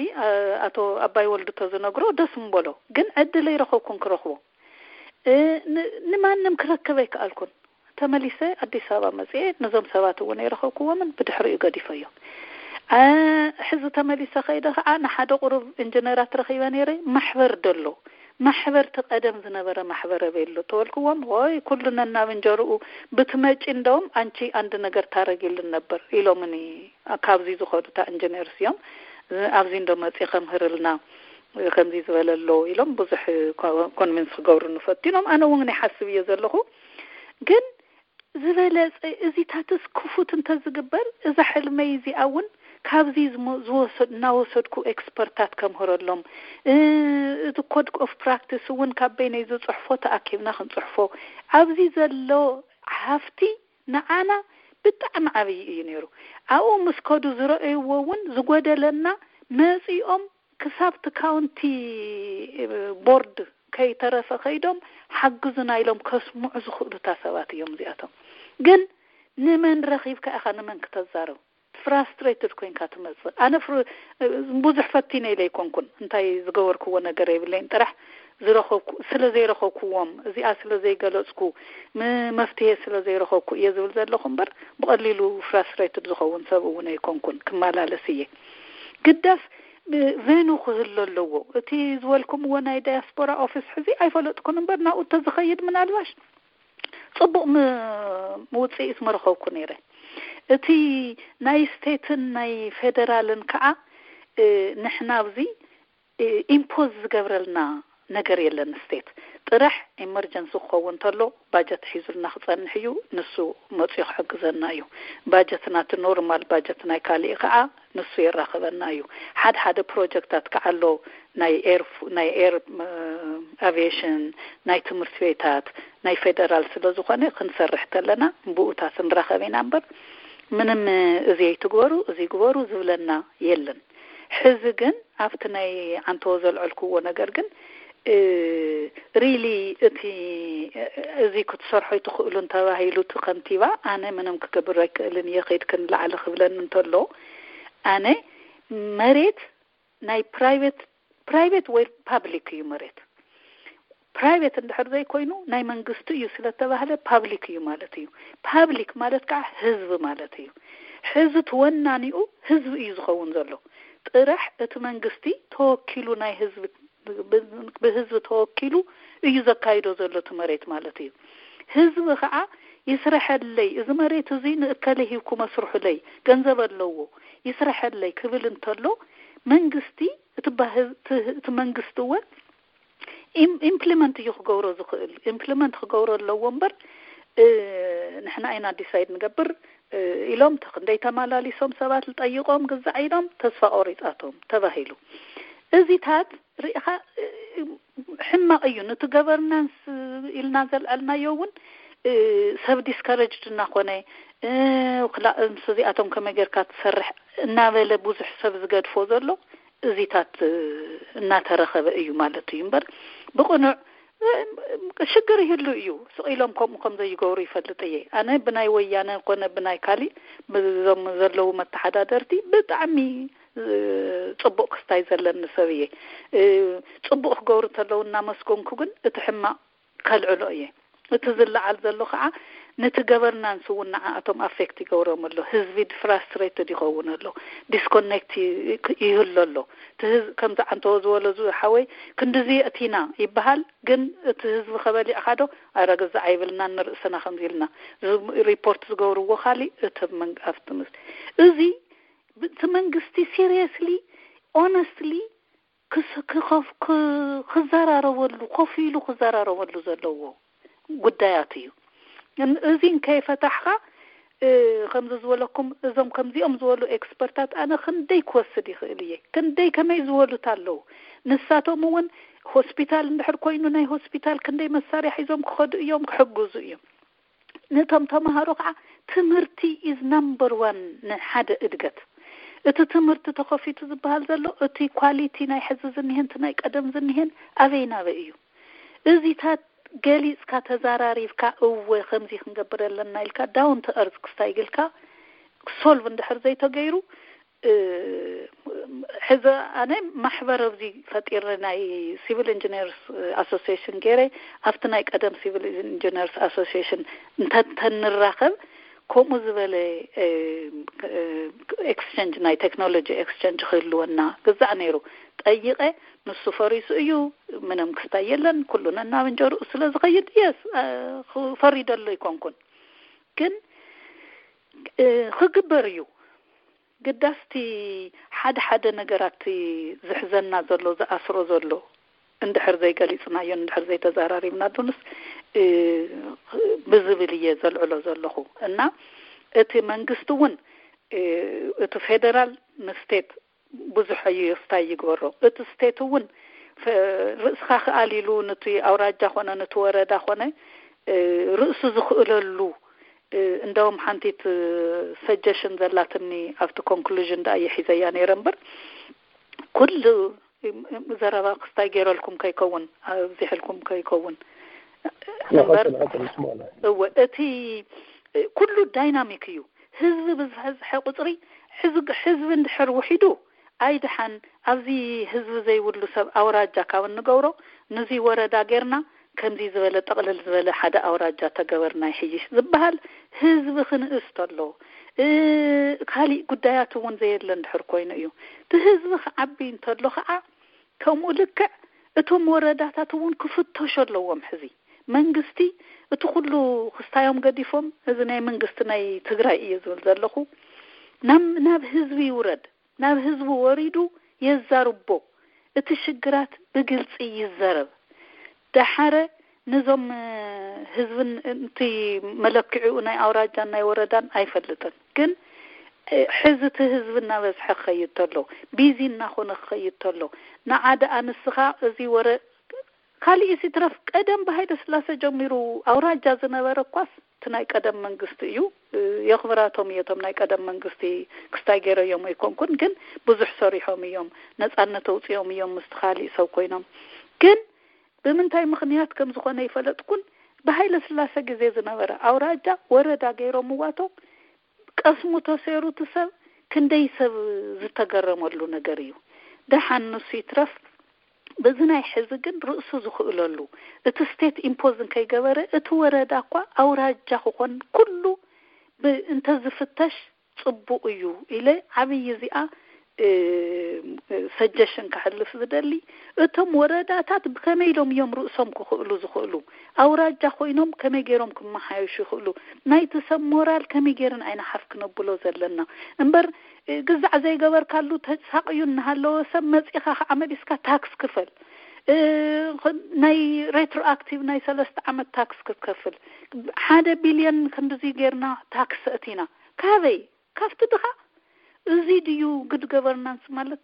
ኣቶ ኣባይ ወልዱ ተዝነግሮ ደስ ምበሎ፣ ግን ዕድል ኣይረኸብኩን ክረኽቦ። እ፣ ን- ንማንም ክረክብ ኣይከኣልኩን። ተመሊሰ ኣዲስ ኣበባ መፅኤ ነዞም ሰባት እውን ኣይረኸብኩዎምን፣ ብድሕሪኡ ገዲፈዮ። እ፣ ሕዚ ተመሊሰ ከይደ ከዓ ንሓደ ቁሩብ ኢንጂነራት ረኺበ ነይረ። ማሕበር ደሎ ማሕበርቲ ቀደም ዝነበረ ማሕበረ ቤሎ ተወልክዎም፣ ወይ ኩሉ ነናብ እንጀርኡ ብትመጪ፣ እንደውም ኣንቺ አንድ ነገር ታረጊልን ነበር ኢሎምኒ። ካብዚ ዝኸዱ እታ ኢንጂነርስ እዮም። ኣብዚ እንዶ መፂ ከምህርልና ከምዚ ዝበለ ኣሎ ኢሎም ብዙሕ ኮ- ኮንቪንስ ክገብሩኒ ፈቲኖም። ኣነ እውን ይሓስብ እየ ዘለኹ። ግን ዝበለፀ እዚታትስ ክፉት እንተዝግበር፣ እዛ ሕልመይ እዚኣ እውን ካብዚ ዝሞ- ዝወሰድ- እናወሰድኩ ኤክስፐርታት ከምህረሎም፣ እ፣ እቲ ኮድ ኦፍ ፕራክቲስ እውን ካብ በይነይ ዝፅሕፎ ተኣኪብና ክንፅሕፎ፣ ኣብዚ ዘሎ ሃፍቲ ንዓና ብጣዕሚ ዓብዪ እዩ ነይሩ። ኣብኡ ምስ ከዱ ዝረኣይዎ እውን ዝጎደለና መፂኦም ክሳብ እቲ ካውንቲ ቦርድ ከይተረፈ ከይዶም ሓግዙና ኢሎም ከስምዑ ዝኽእሉታ ሰባት እዮም እዚኣቶም። ግን ንመን ረኺብካ ኢኻ ንመን ክተዛረብ? ፍራስትሬትድ ኮይንካ ትመጽእ። ኣነ ፍሩ- ብዙሕ ፈቲነ ኢለ ኣይኮንኩን፣ እንታይ ዝገበርክዎ ነገር የብለይን። ጥራሕ ዝረኸብኩ ስለ ዘይረኸብኩዎም፣ እዚኣ ስለ ዘይገለጽኩ፣ ም- መፍትሄ ስለ ዘይረኸብኩ እየ ዝብል ዘለኹ እምበር፣ ብቐሊሉ ፍራስትሬትድ ዝኸውን ሰብ እውን ኣይኮንኩን። ክመላለስ እየ። ግዳስ ብ- ቬኑ ክህሎ ኣለዎ። እቲ ዝበልኩምዎ ናይ ዳያስፖራ ኦፊስ ሕዚ ኣይፈለጥኩን እምበር፣ ናብኡ እንተዝኸይድ ምናልባሽ ጽቡቕ ም- ውጽኢት ምረኸብኩ ነይረ። እቲ ናይ ስቴትን ናይ ፌደራልን ከዓ፣ እ፣ ንሕና ኣብዚ፣ እ፣ ኢምፖዝ ዝገብረልና ነገር የለን። ስቴት ጥራሕ ኤመርጀንሲ ክኸውን እንተሎ ባጀት ሒዙልና ክጸንሕ እዩ። ንሱ መጽኡ ክሕግዘና እዩ። ባጀት ናቲ ኖርማል ባጀት ናይ ካሊእ ከዓ ንሱ የራኽበና እዩ። ሓደ ሓደ ፕሮጀክታት ከዓ ኣሎ፣ ናይ ኤር ፍ- ናይ ኤር ም- ኣቪዬሽን፣ ናይ ትምህርቲ ቤታት፣ ናይ ፌደራል ስለ ዝኾነ ክንሰርሕ ተለና ብኡታት ንራኸብ ኢና እምበር፣ ምንም እዚ ኣይትግበሩ እዚ ግበሩ ዝብለና የለን። ሕዚ ግን ኣብቲ ናይ ዓንተቦ ዘልዐልክዎ ነገር ግን፣ እ፣ ሪሊ እቲ፣ እ፣ እዚ ክትሰርሖ ኣይትኽእሉን ተባሂሉ እቲ ከንቲባ፣ ኣነ ምንም ክገብር ኣይክእልን እየ፣ ከይድክን ላዕሊ ክብለኒ እንተሎ፣ ኣነ መሬት ናይ ፕራይቬት፣ ፕራይቬት ወይ ፓብሊክ እዩ መሬት። ፕራይቬት እንድሕር ዘይኮይኑ ናይ መንግስቲ እዩ ስለተባህለ ፓብሊክ እዩ ማለት እዩ። ፓብሊክ ማለት ከዓ ህዝቢ ማለት እዩ። ሕዚ ተወናኒኡ ህዝቢ እዩ ዝኸውን ዘሎ። ጥራሕ እቲ መንግስቲ ተወኪሉ ናይ ህዝቢ፣ ብ- ብህዝቢ ተወኪሉ እዩ ዘካይዶ ዘሎ እቲ መሬት ማለት እዩ። ህዝቢ ከዓ ይስረሐለይ፣ እዚ መሬት እዚ ንእከለ ሂብኩም ኣስርሑለይ፣ ገንዘብ ኣለዎ፣ ይስረሐለይ ክብል እንተሎ፣ መንግስቲ እቲ ባህ- እቲ እቲ መንግስቲ እውን ኢም- ኢምፕሊመንት እዩ ክገብሮ ዝኽእል። ኢምፕሊመንት ክገብሮ ኣለዎ እምበር፣ እ፣ ንሕና ኢና ዲሳይድ ንገብር፣ እ፣ ኢሎም ተክንደይ ተማላሊሶም ሰባት ዝጠይቆም ግዛዕ ኢሎም ተስፋ ቆሪጻቶም ተባሂሉ። እዚታት ርኢኻ፣ እ፣ ሕማቕ እዩ። ነቲ ገቨርናንስ ኢልና ዘልዐልናዮ እውን፣ እ፣ ሰብ ዲስካረጅድ እናኾነ፣ እ፣ ክላ- ምስ እዚኣቶም ከመይ ጌርካ ትሰርሕ እናበለ ብዙሕ ሰብ ዝገድፎ ዘሎ እዚታት፣ እ፣ እናተረኸበ እዩ ማለት እዩ እምበር፣ ብቕኑዕ፣ እ፣ ሽግር ይህሉ እዩ። ስቕ ኢሎም ከምኡ ከም ዘይገብሩ ይፈልጥ እየ። ኣነ ብናይ ወያነ ኮነ ብናይ ካሊእ፣ ብዞም ዘለዉ መተሓዳደርቲ ብጣዕሚ፣ እ፣ ጽቡቕ ክስታይ ዘለኒ ሰብ እየ። እ፣ ጽቡቕ ክገብሩ እንተለዉ እናመስገንኩ ግን እቲ ሕማቕ ከልዕሎ እየ። እቲ ዝለዓል ዘሎ ከዓ ነቲ ገቨርናንስ እውን ንዓኣቶም ኣፌክት ይገብሮም ኣሎ። ህዝቢ ፍራስትሬትድ ይኸውን ኣሎ፣ ዲስኮኔክት ይ- ይህሉ ኣሎ። እቲ ህዝ- ከምዚ ዓንተቦ ዝበሎ ዝሓወይ ክንድዚ የእቲና ይበሃል፣ ግን እቲ ህዝቢ ከበሊዕካ ዶ? ኣረ ግዛዕ ኣይብልናን፣ ንርእስና ከምዚ ኢልና ዝ- ሪፖርት ዝገብርዎ ካሊእ፣ እቲ መን- ኣብቲ ምስ- እዚ ብ- እቲ መንግስቲ ሲሪየስሊ ኦነስትሊ ክስ- ክኸፍ- ክ- ክዘራረበሉ፣ ኮፍ ኢሉ ክዘራረበሉ ዘለዎ ጉዳያት እዩ። እን- እዚ እንከይፈታሕካ፣ እ፣ ከምዚ ዝበለኩም፣ እዞም ከምዚኦም ዝበሉ ኤክስፐርታት ኣነ ክንደይ ክወስድ ይኽእል እየ። ክንደይ ከመይ ዝበሉት ኣለዉ። ንሳቶም እውን ሆስፒታል እንድሕር ኮይኑ ናይ ሆስፒታል ክንደይ መሳርያ ሒዞም ክኸዱ እዮም፣ ክሕግዙ እዮም። ነቶም ተምሃሮ ከዓ ትምህርቲ ኢዝ ናምበር ዋን ንሓደ እድገት። እቲ ትምህርቲ ተኸፊቱ ዝበሃል ዘሎ እቲ ኳሊቲ ናይ ሕዚ ዝኒሀን እቲ ናይ ቀደም ዝኒሀን ኣበይ ናበይ እዩ። እዚታት ገሊፅካ ተዛራሪብካ እወ ከምዚ ክንገብር ኣለና ኢልካ ዳውን ቱ እርዝ ክስታይ ግልካ ክሶልቭ እንድሕር ዘይተገይሩ፣ ሕዚ ኣነ ማሕበር ኣብዚ ፈጢረ ናይ ሲቪል ኢንጂነርስ ኣሶሲሽን ገይረ፣ ኣብቲ ናይ ቀደም ሲቪል ኢንጂነርስ ኣሶሲሽን እንተተንራኸብ፣ ከምኡ ዝበለ ኤክስቸንጅ፣ ናይ ቴክኖሎጂ ኤክስቸንጅ ክህልወና ግዛዕ ነይሩ። ጠይቀ፣ ንሱ ፈሪሱ እዩ፣ ምንም ክስታይ የለን፣ ኩሉ ነናብ እንጀርኡ ስለ ዝኸይድ፣ የስ፣ ፈሪደሎ ይኮንኩን። ግን ክግበር እዩ። ግዳስቲ ሓደ ሓደ ነገራት ዝሕዘና ዘሎ፣ ዝኣስሮ ዘሎ እንድሕር ዘይገሊጽናዮ፣ እንድሕር ዘይተዘራሪብና፣ ዱንስ ብዝብል እየ ዘልዕሎ ዘለኹ። እና እቲ መንግስቲ እውን፣ እቲ ፌደራል ንስቴት ብዙሕ እዩ ስታይ ይግበሮ። እቲ ስቴት እውን ርእስኻ ክኣል ኢሉ፣ ንቲ ኣውራጃ ኮነ ንቲ ወረዳ ኮነ ርእሱ ዝኽእለሉ፣ እንደውም ሓንቲት ሰጀሽን ዘላትኒ ኣብቲ ኮንክሉዥን ደኣ ይሒዘያ ነይረ እምበር፣ ኩሉ ዘረባ ክስታይ ገይረልኩም ከይከውን፣ ኣብዚሕልኩም ከይከውን እምበር፣ እወ፣ እቲ ኩሉ ዳይናሚክ እዩ። ህዝቢ ብዝበዝሐ ቁፅሪ፣ ህዝቢ እንድሕር ውሒዱ ኣይድሓን፣ ኣብዚ ህዝቢ ዘይብሉ ሰብ ኣውራጃ ካብ እንገብሮ፣ ንዚ ወረዳ ጌርና ከምዚ ዝበለ ጠቕልል ዝበለ ሓደ ኣውራጃ ተገበርና ይሕይሽ ዝበሃል፣ ህዝቢ ክንእስ ተሎ፣ ካሊእ ጉዳያት እውን ዘየለ እንድሕር ኮይኑ እዩ። እቲ ህዝቢ ክዓቢ እንተሎ ከዓ ከምኡ ልክዕ እቶም ወረዳታት እውን ክፍተሹ ኣለዎም። ሕዚ መንግስቲ እቲ ኩሉ ክስታዮም ገዲፎም፣ እዚ ናይ መንግስቲ ናይ ትግራይ እየ ዝብል ዘለኹ፣ ናብ ህዝቢ ይውረድ። ናብ ህዝቢ ወሪዱ የዛርቦ። እቲ ሽግራት ብግልፂ ይዘረብ። ደሓረ ንዞም ህዝብን፣ እቲ መለክዒኡ ናይ ኣውራጃን ናይ ወረዳን ኣይፈልጥን፣ ግን ሕዚ እቲ ህዝቢ እናበዝሐ ክኸይድ ተሎ፣ ቢዚ እናኾነ ክኸይድ ተሎ፣ ንዓደ ኣንስኻ እዚ ወረ ካሊእ ሲትረፍ፣ ቀደም ብሃይለ ስላሰ ጀሚሩ ኣውራጃ ዝነበረ እኳስ እቲ ናይ ቀደም መንግስቲ እዩ። የኽብራቶም እየ እቶም ናይ ቀደም መንግስቲ፣ ክስታይ ገይረዮም ኣይኮንኩን፣ ግን ብዙሕ ሰሪሖም እዮም፣ ነፃነት ኣውፅኦም እዮም ምስቲ ካሊእ ሰብ ኮይኖም። ግን ብምንታይ ምኽንያት ከም ዝኾነ ይፈለጥኩን፣ ብሃይለ ስላሰ ግዜ ዝነበረ ኣውራጃ ወረዳ ገይሮምዋቶ፣ ቀስሙ ተሰይሩ እቲ ሰብ ክንደይ ሰብ ዝተገረመሉ ነገር እዩ። ደሓን ንሱ ይትረፍ፣ በዚ ናይ ሕዚ ግን ርእሱ ዝኽእለሉ፣ እቲ ስቴት ኢምፖዝ እንከይገበረ እቲ ወረዳ እኳ ኣውራጃ ክኾን ኩሉ እንተዝፍተሽ ፅቡቕ እዩ ኢለ ዓብዪ እዚኣ ሰጀሽን ከሕልፍ ዝደሊ። እቶም ወረዳታት ብከመይ ኢሎም እዮም ርእሶም ክኽእሉ ዝኽእሉ? ኣውራጃ ኮይኖም ከመይ ገይሮም ክመሓየሹ ይኽእሉ? ናይቲ ሰብ ሞራል ከመይ ገይርን ኣይንሓፍ ክነብሎ ዘለና እምበር፣ ግዛዕ ዘይገበርካሉ ተሳቕዩ እናሃለወ ሰብ መፂኻ ከዓ መሊስካ ታክስ ክፈል፣ ናይ ሬትሮኣክቲቭ ናይ ሰለስተ ዓመት ታክስ ክትከፍል፣ ሓደ ቢልዮን ክንድዚ ጌርና ታክስ ኣእቲና። ካበይ? ካብቲ ድኻ? እዚ ድዩ ጉድ ገቨርናንስ ማለት?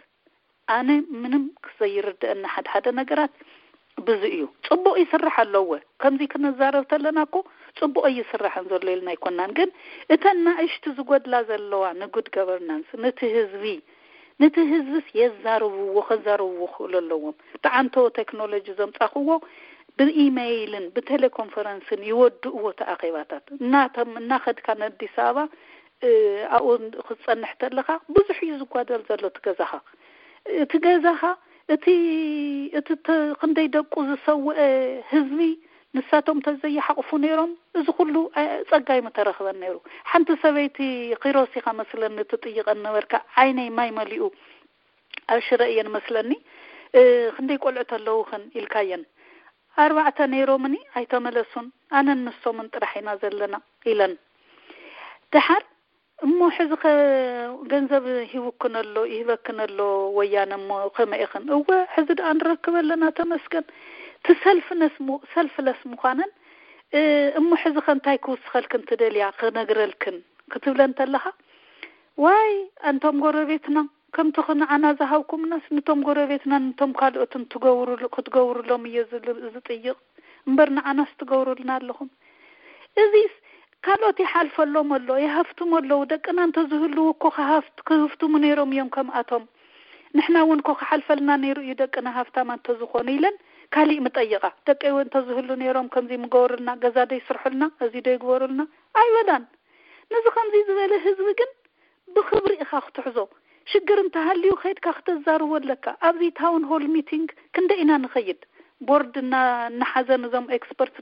ኣነ ምንም ዘይርድአኒ ሓደ ሓደ ነገራት ብዚ እዩ። ፅቡቕ ይስራሕ ኣለዎ። ከምዚ ክንዛረብ ተለና እኮ ፅቡቕ ኣይስራሕን ዘሎ ኢልና ኣይኮናን። ግን እተን ናእሽቱ ዝጎድላ ዘለዋ ንጉድ ገቨርናንስ፣ ነቲ ህዝቢ፣ ነቲ ህዝብስ የዛርብዎ፣ ከዛርብዎ ክኽእሉ ኣለዎም። ተዓንቶ ቴክኖሎጂ ዘምፃኽዎ ብኢሜይልን ብቴሌኮንፈረንስን ይወድእዎ እቲ ኣኼባታት። እናተም-፣ እናኸድካ ንኣዲስ ኣበባ ኣብኡ ክትፀንሕ ተለኻ ብዙሕ እዩ ዝጓደል ዘሎ እቲ ገዛኻ። እቲ ገዛኻ፣ እቲ፣ እቲ ተ-፣ ክንደይ ደቁ ዝሰውአ ህዝቢ ንሳቶም ተዘይሓቕፉ ነይሮም፣ እዚ ኩሉ ጸጋ ኣይምተረኽበን ነይሩ። ሓንቲ ሰበይቲ ኺሮስ ኢኻ መስለኒ ትጥይቐን ነበርካ፣ ዓይነይ ማይ መሊኡ። ኣብ ሽረ እየን መስለኒ። እ፣ ክንደይ ቆልዑ ተለውኽን ኢልካየን። ኣርባዕተ ነይሮምኒ ኣይተመለሱን፣ ኣነን ንሶምን ጥራሕ ኢና ዘለና ኢለን። ደሓር እሞ ሕዚ ኸ ገንዘብ ሂቡክን ኣሎ፣ ይህበክን ኣሎ ወያነ፣ እሞ ከመይ ኢኽን? እወ፣ ሕዚ ደኣ ንረክብ ኣለና፣ ተመስገን። እቲ ሰልፍነስ ሙ-፣ ሰልፍለስ ምዃነን፣ እ፣ እሞ ሕዚ ኸ እንታይ ክውስኸልክን ትደልያ፣ ክነግረልክን ክትብለን ተለኻ፣ ዋይ፣ ኣንቶም ጎረቤትና፣ ከምቲ ኽ-፣ ንዓና ዝሃብኩምናስ፣ ንቶም ጎረቤትና፣ ንቶም ካልኦትን ትገብሩሉ-፣ ክትገብሩሎም እየ ዝል-፣ ዝጥይቕ እምበር፣ ንዓናስ ትገብሩልና ኣለኹም። እዚስ ካልኦት ይሓልፈሎም ኣሎ፣ ይሃፍትሙ ኣለዉ። ደቅና እንተዝህልዉ እኮ ክሃፍት-፣ ክህፍትሙ ነይሮም እዮም ከምኣቶም። ንሕና እውን እኮ ክሓልፈልና ነይሩ እዩ ደቅና ሃፍታማ እንተዝኾኑ ኢለን ካሊእ ምጠይቓ። ደቀይ እውን እንተዝህሉ ነይሮም ከምዚ ምገበሩልና፣ ገዛ ዶ ይስርሑልና፣ እዚ ዶ ይግበሩልና ኣይበላን። ነዚ ከምዚ ዝበለ ህዝቢ ግን ብኽብሪ ኢኻ ክትሕዞ። ሽግር እንተሃልዩ ከይድካ ክተዛርቦ ኣለካ። ኣብዚ ታውን ሆል ሚቲንግ ክንደ ኢና ንኸይድ? ቦርድ እና እናሓዘ ነዞም ኤክስፐርት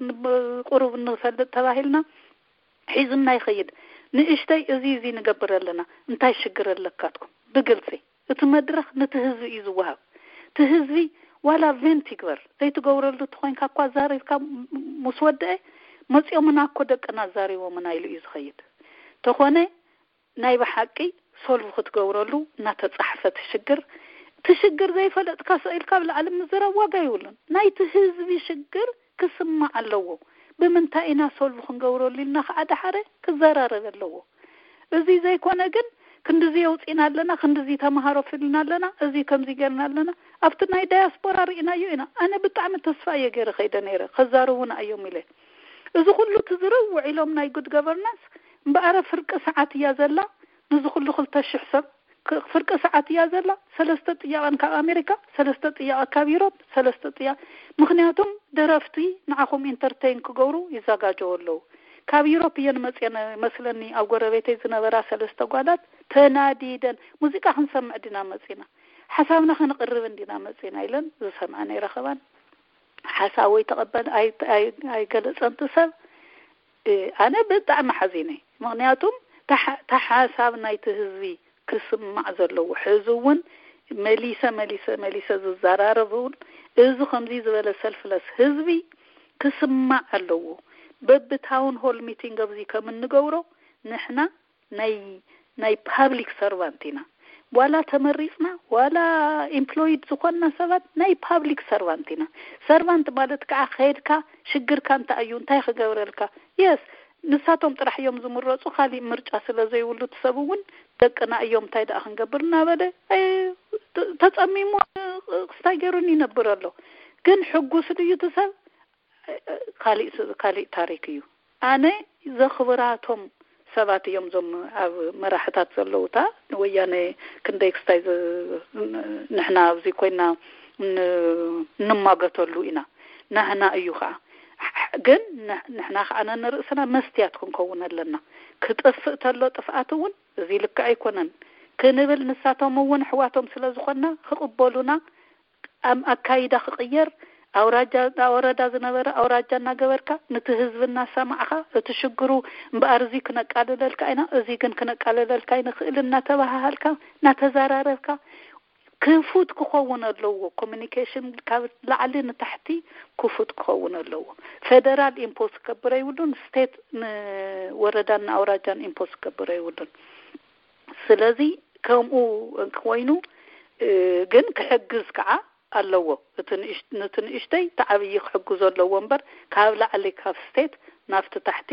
ቁሩብ እንፈልጥ ተባሂልና ሒዙና ይኸይድ። ንእሽተይ እዚ እዚ ንገብር ኣለና፣ እንታይ ሽግር ኣለካትኩም? ብግልፂ እቲ መድረኽ ነቲ ህዝቢ እዩ ዝወሃብ። እቲ ህዝቢ ዋላ ቬንት ይግበር ዘይትገብረሉ ተኾይንካ እኳ ዛሪብካ ምስ ወደአ መፂኦምና እኮ ደቅና ዛሪቦምና ኢሉ እዩ ዝኸይድ። ተኾነ ናይ ብሓቂ ሶልቭ ክትገብረሉ እናተፃሕፈ እቲ ሽግር እቲ ሽግር ዘይፈለጥካ ስኢልካ ኣብ ላዕሊ ምዝራብ ዋጋ ይብሉን። ናይቲ ህዝቢ ሽግር ክስማዕ ኣለዎ። ብምንታይ ኢና ሶልቭ ክንገብረሉ ኢልና ከዓ ደሓረ ክዘራረብ ኣለዎ። እዚ ዘይኮነ ግን ክንድዚ የውፅእና ኣለና፣ ክንድዚ ተምሃሮ ፍልና ኣለና፣ እዚ ከምዚ ገርና ኣለና። ኣብቲ ናይ ዳያስፖራ ርኢናዮ ኢና። ኣነ ብጣዕሚ ተስፋ እየ ገይረ ከይደ ነይረ ከዛርቡና እዮም ኢለ። እዚ ኩሉ ትዝርብ ውዒሎም ናይ ጉድ ገቨርናንስ እምበኣረ ፍርቂ ሰዓት እያ ዘላ። ንዚ ኩሉ ክልተ ሽሕ ሰብ ፍርቂ ሰዓት እያ ዘላ። ሰለስተ ጥያቐን ካብ ኣሜሪካ፣ ሰለስተ ጥያቐ ካብ ዩሮፕ፣ ሰለስተ ጥያቐ ምክንያቱም ደረፍቲ ንዓኹም ኢንተርቴን ክገብሩ ይዘጋጀው ኣለዉ። ካብ ዩሮፕ እየን መፅየን መስለኒ። ኣብ ጎረቤተይ ዝነበራ ሰለስተ ጓላት ተናዲደን ሙዚቃ ክንሰምዕ ዲና መፂና፣ ሓሳብና ክንቕርብ እንዲና መፂና ኢለን ዝሰምዐን ኣይረኸባን። ሓሳብ ወይ ተቐበል ኣይገለፀንቲ ሰብ። ኣነ ብጣዕሚ ሓዚነ። ምክንያቱም ተሓሳብ ናይቲ ህዝቢ ክስማዕ ዘለዎ ሕዚ እውን መሊሰ መሊሰ መሊሰ ዝዘራረብ እውን እዚ ከምዚ ዝበለ ሰልፍለስ ህዝቢ ክስማዕ ኣለዎ። በብታውን ሆል ሚቲንግ ኣብዚ ከም እንገብሮ ንሕና ናይ ናይ ፓብሊክ ሰርቫንት ኢና። ዋላ ተመሪፅና ዋላ ኢምፕሎይድ ዝኾንና ሰባት ናይ ፓብሊክ ሰርቫንት ኢና። ሰርቫንት ማለት ከዓ ከይድካ ሽግርካ እንታይ እዩ እንታይ ክገብረልካ የስ ንሳቶም ጥራሕ እዮም ዝምረፁ። ካሊእ ምርጫ ስለ ዘይብሉ እቲ ሰብ እውን ደቅና እዮም እንታይ ደኣ ክንገብር እናበለ ተፀሚሙ ክስታይ ገይሩን ይነብር ኣሎ። ግን ሕጉስ ድዩ እቲ ሰብ? ካሊእ ታሪክ እዩ። ኣነ ዘኽብራቶም ሰባት እዮም ዞም ኣብ መራሕታት ዘለውታ ንወያነ ክንደይ ክስታይ ንሕና ኣብዚ ኮይና እንማገተሉ ኢና። ናህና እዩ ከዓ ግን ንሕና ከዓ ነንርእስና መስትያት ክንከውን ኣለና። ክጥፍእ ተሎ ጥፍኣት እውን እዚ ልክዕ ኣይኮነን ክንብል ንሳቶም እውን ኣሕዋቶም ስለ ዝኾንና ክቕበሉና ኣካይዳ ክቕየር ኣውራጃ ወረዳ ዝነበረ ኣውራጃ እናገበርካ ንቲ ህዝቢ እናሰማዕኻ እቲ ሽግሩ እምበኣር እዚ ክነቃልለልካ ኢና እዚ ግን ክነቃልለልካ ኣይንኽእል እናተባሃሃልካ እናተዘራረብካ ክፉት ክኸውን ኣለዎ። ኮሚኒኬሽን ካብ ላዕሊ ንታሕቲ ክፉት ክኸውን ኣለዎ። ፌደራል ኢምፖዝ ክገብር ኣይብሉን፣ ስቴት ንወረዳን ንኣውራጃን ኢምፖዝ ክገብር ኣይብሉን። ስለዚ ከምኡ ኮይኑ ግን ክሕግዝ ከዓ ኣለዎ። ንቲ ንእሽተይ ተዓብዪ ክሕግዞ ኣለዎ እምበር ካብ ላዕሊ ካብ ስቴት ናብቲ ታሕቲ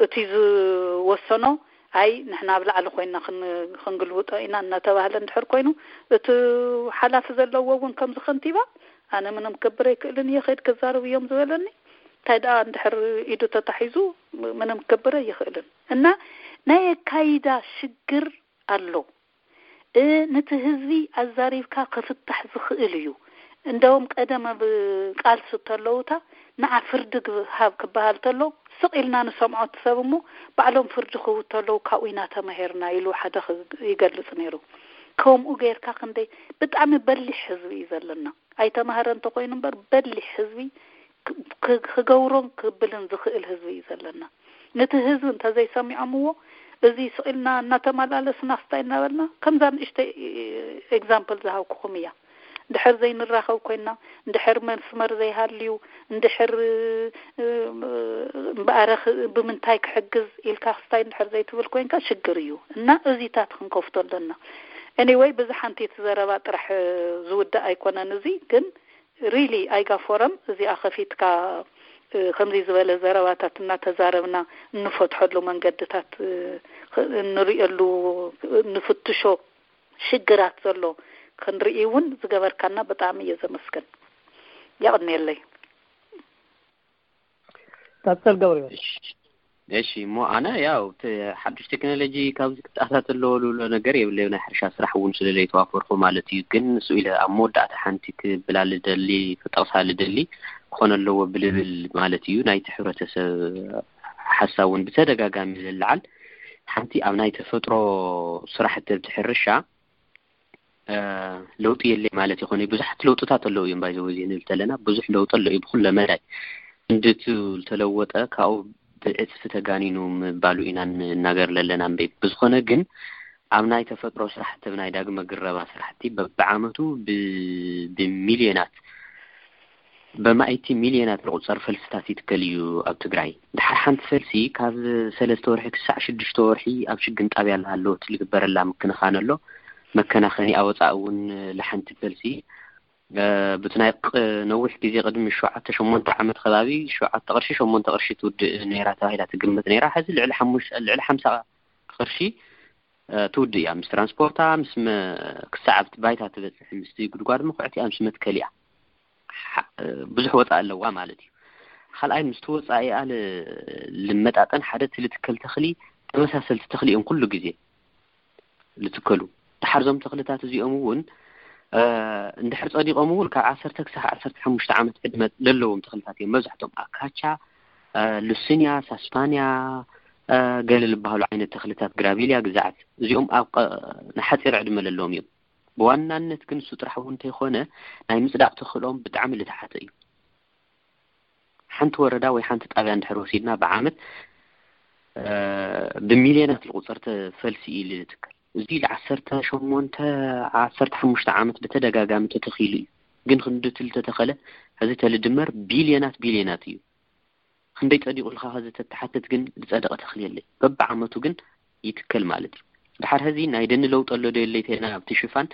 እቲ ዝወሰኖ ኣይ ንሕና ኣብ ላዕሊ ኮይና ክንግልብጦ ኢና እናተባህለ እንድሕር ኮይኑ እቲ ሓላፊ ዘለዎ እውን ከምዚ ከንቲባ ኣነ ምንም ክገብር ኣይክእልን እየ ከይድ ክዛረብ እዮም ዝበለኒ እንታይ ደኣ እንድሕር ኢዱ ተታሒዙ ምንም ክገብር ኣይኽእልን እና ናይ ኣካይዳ ሽግር ኣሎ። ንቲ ህዝቢ ኣዛሪብካ ክፍታሕ ዝኽእል እዩ። እንደውም ቀደም ኣብ ቃልሲ ተለውታ ንዓ ፍርዲ ሃብ ክበሃል ተሎ ስቕ ኢልና ንሰምዖ እቲ ሰብ እሞ ባዕሎም ፍርዲ ክህቡ ተለዉ ካብኡ ኢና ተማሂርና ኢሉ ሓደ ይገልጽ ነይሩ። ከምኡ ገይርካ ክንደይ ብጣዕሚ በሊሕ ህዝቢ እዩ ዘለና። ኣይተማህረ እንተኮይኑ እምበር በሊሕ ህዝቢ ክገብሮን ክብልን ዝኽእል ህዝቢ እዩ ዘለና። ነቲ ህዝቢ እንተዘይሰሚዖምዎ እዚ ስቕ ኢልና እናተመላለስና ክስታይ እናበልና ከምዛ ንእሽተይ ኤግዛምፕል ዝሃብኩኹም እያ። እንድሕር ዘይንራኸብ ኮይና እንድሕር መስመር ዘይሃልዩ እንድሕር እምበኣረ ብምንታይ ክሕግዝ ኢልካ ክስታይ እንድሕር ዘይትብል ኮይንካ ሽግር እዩ እና እዚታት ክንከፍቶ ኣለና። Anyway ብዚ ሓንቲ እቲ ዘረባ ጥራሕ ዝውዳእ ኣይኮነን እዚ ግን really ኣይጋ ፎረም እዚኣ ከፊትካ ከምዚ ዝበለ ዘረባታት እናተዛረብና እንፈትሐሉ መንገድታት እንሪእሉ ንፍትሾ ሽግራት ዘሎ ክንርኢ እውን ዝገበርካና ብጣዕሚ እየ ዘመስግን። የቕንየለይ። ቀጽል ገብርኤል። እሺ እሞ ኣነ ያው ሓዱሽ ቴክኖሎጂ ካብዚ ክተኣታተ ኣለዎ ዝብሎ ነገር የብለይ። ናይ ሕርሻ ስራሕ እውን ስለ ዘይተዋፈርኩ ማለት እዩ። ግን ንሱ ኢለ ኣብ መወዳእታ ሓንቲ ክብላ ልደሊ ክጠቕሳ ልደሊ ክኾነ ኣለዎ ብልብል ማለት እዩ ናይቲ ሕብረተሰብ ሓሳብ እውን ብተደጋጋሚ ዝለዓል ሓንቲ ኣብ ናይ ተፈጥሮ ስራሕቲ ኣብቲ ሕርሻ ለውጢ የለ ማለት ይኮነ። ብዙሓት ለውጥታት ኣለዉ እዮም። ባይዘው እዚ ንብል ተለና ብዙሕ ለውጢ ኣሎ እዩ ብኩለ መዳይ። እንድቱ ዝተለወጠ ካብኡ ብዕፅፊ ተጋኒኑ ምባሉ ኢና ንናገር ለለና እምበይ። ብዝኮነ ግን ኣብ ናይ ተፈጥሮ ስራሕቲ፣ ኣብ ናይ ዳግመ ግረባ ስራሕቲ በብዓመቱ ብሚልዮናት፣ በማእቲ ሚልዮናት ዝቁፀር ፈልስታት ይትከል እዩ ኣብ ትግራይ። ድሓር ሓንቲ ፈልሲ ካብ ሰለስተ ወርሒ ክሳዕ ሽዱሽተ ወርሒ ኣብ ሽግን ጣብያ ኣለሃለወት ዝግበረላ ምክንኻን ኣሎ። መከናኸኒ ኣወፃእ እውን ለሓንቲ ፈልሲ ብቲ ናይ ነዊሕ ግዜ ቅድሚ ሸውዓተ ሸሞንተ ዓመት ከባቢ ሸውዓተ ቅርሺ ሸሞንተ ቅርሺ ትውድእ ነይራ ተባሂላ ትግመት ነይራ። ሕዚ ልዕሊ ሓሙሽ ልዕሊ ሓምሳ ቅርሺ ትውድእ እያ። ምስ ትራንስፖርታ ምስ ክሳዕ ኣብቲ ባይታ ትበፅሕ ምስቲ ጉድጓድ ምኩዕቲ ምስ መትከል እያ። ብዙሕ ወፃእ ኣለዋ ማለት እዩ። ካልኣይ ምስቲ ወፃእ እያ ልመጣጠን ሓደ ትልትከል ተኽሊ ተመሳሰልቲ ተኽሊ እዮም ኩሉ ግዜ ልትከሉ። ድሓር ዞም ተኽልታት እዚኦም እውን እንድሕር ፀዲቆም እውን ካብ ዓሰርተ ክሳብ ዓሰርተ ሓሙሽተ ዓመት ዕድመ ለለዎም ተኽልታት እዮም። መብዛሕቶም ኣካቻ፣ ሉስንያ፣ ሳስፓንያ፣ ገለ ዝበሃሉ ዓይነት ተኽልታት ግራቢልያ ግዛዓት እዚኦም ኣብ ንሓፂር ዕድመ ለለዎም እዮም። ብዋናነት ግን እሱ ጥራሕ እውን እንተይኮነ ናይ ምፅዳቕ ተኽእሎም ብጣዕሚ ልተሓተ እዩ። ሓንቲ ወረዳ ወይ ሓንቲ ጣብያ እንድሕር ወሲድና ብዓመት ብሚልዮናት ዝቁፀር ፈልሲ እዩ ልትከል። እዚ ል ዓሰርተ ሸሞንተ ዓሰርተ ሓሙሽተ ዓመት ብተደጋጋሚ ተተኺሉ እዩ። ግን ክንድቲ ልተተኸለ ሕዚ ተልድመር ቢልዮናት ቢልዮናት እዩ። ክንደይ ጸዲቑ ኢልካ ከዚ ተተሓትት ግን ዝጸደቐ ተኽሊ የለይ። በብዓመቱ ግን ይትከል ማለት እዩ። ድሓር ሕዚ ናይ ደኒ ለውጢ ኣሎ ዶ የለይ ተና ኣብቲ ሽፋን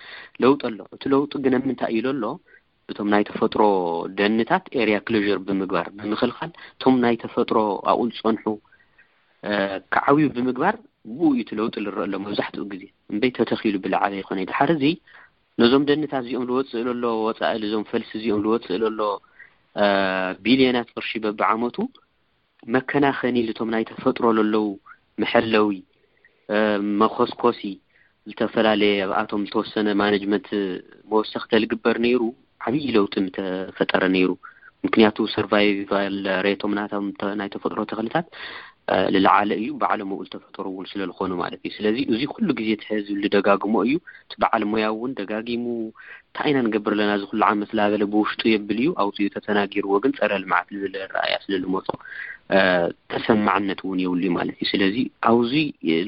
ለውጢ ኣሎ። እቲ ለውጢ ግን ኣብ ምንታይ እዩ ዘሎ? እቶም ናይ ተፈጥሮ ደንታት ኤርያ ክሎዥር ብምግባር ብምኽልኻል እቶም ናይ ተፈጥሮ ኣብኡ ዝጸንሑ ክዓብዩ ብምግባር ብኡ እዩ እቲ ለውጢ ዝረአ ኣሎ መብዛሕትኡ ግዜ እምበይ ተተኺሉ ብለዓበ ይኾነ ድሓር እዚ ነዞም ደንታት እዚኦም ዝወፅእ ዘሎ ወፃኢ እዞም ፈልሲ እዚኦም ዝወፅእ ዘሎ ቢልዮናት ቅርሺ በብዓመቱ መከናኸኒ ልቶም ናይ ተፈጥሮ ለለዉ መሐለዊ መኾስኮሲ ዝተፈላለየ ኣብኣቶም ዝተወሰነ ማነጅመንት መወሰኽተ ልግበር ነይሩ ዓብዪ ለውጢ ምተፈጠረ ነይሩ። ምክንያቱ ሰርቫይቫል ሬቶም ናቶም ናይ ተፈጥሮ ተኽልታት ልለዓለ እዩ። ባዕሎም ኣብኡ ዝተፈጠሩ እውን ስለዝኾኑ ማለት እዩ። ስለዚ እዚ ኩሉ ግዜ እቲ ህዝቢ ልደጋግሞ እዩ። እቲ በዓል ሞያ እውን ደጋጊሙ እንታይ ኢና ንገብር ኣለና እዚ ኩሉ ዓመት ላበለ ብውሽጡ የብል እዩ። ኣውፅኡ ተተናጊርዎ ግን ፀረ ልምዓት ልብል ረኣያ ስለልመፆ ተሰማዕነት እውን የብሉ ማለት እዩ። ስለዚ ኣብዚ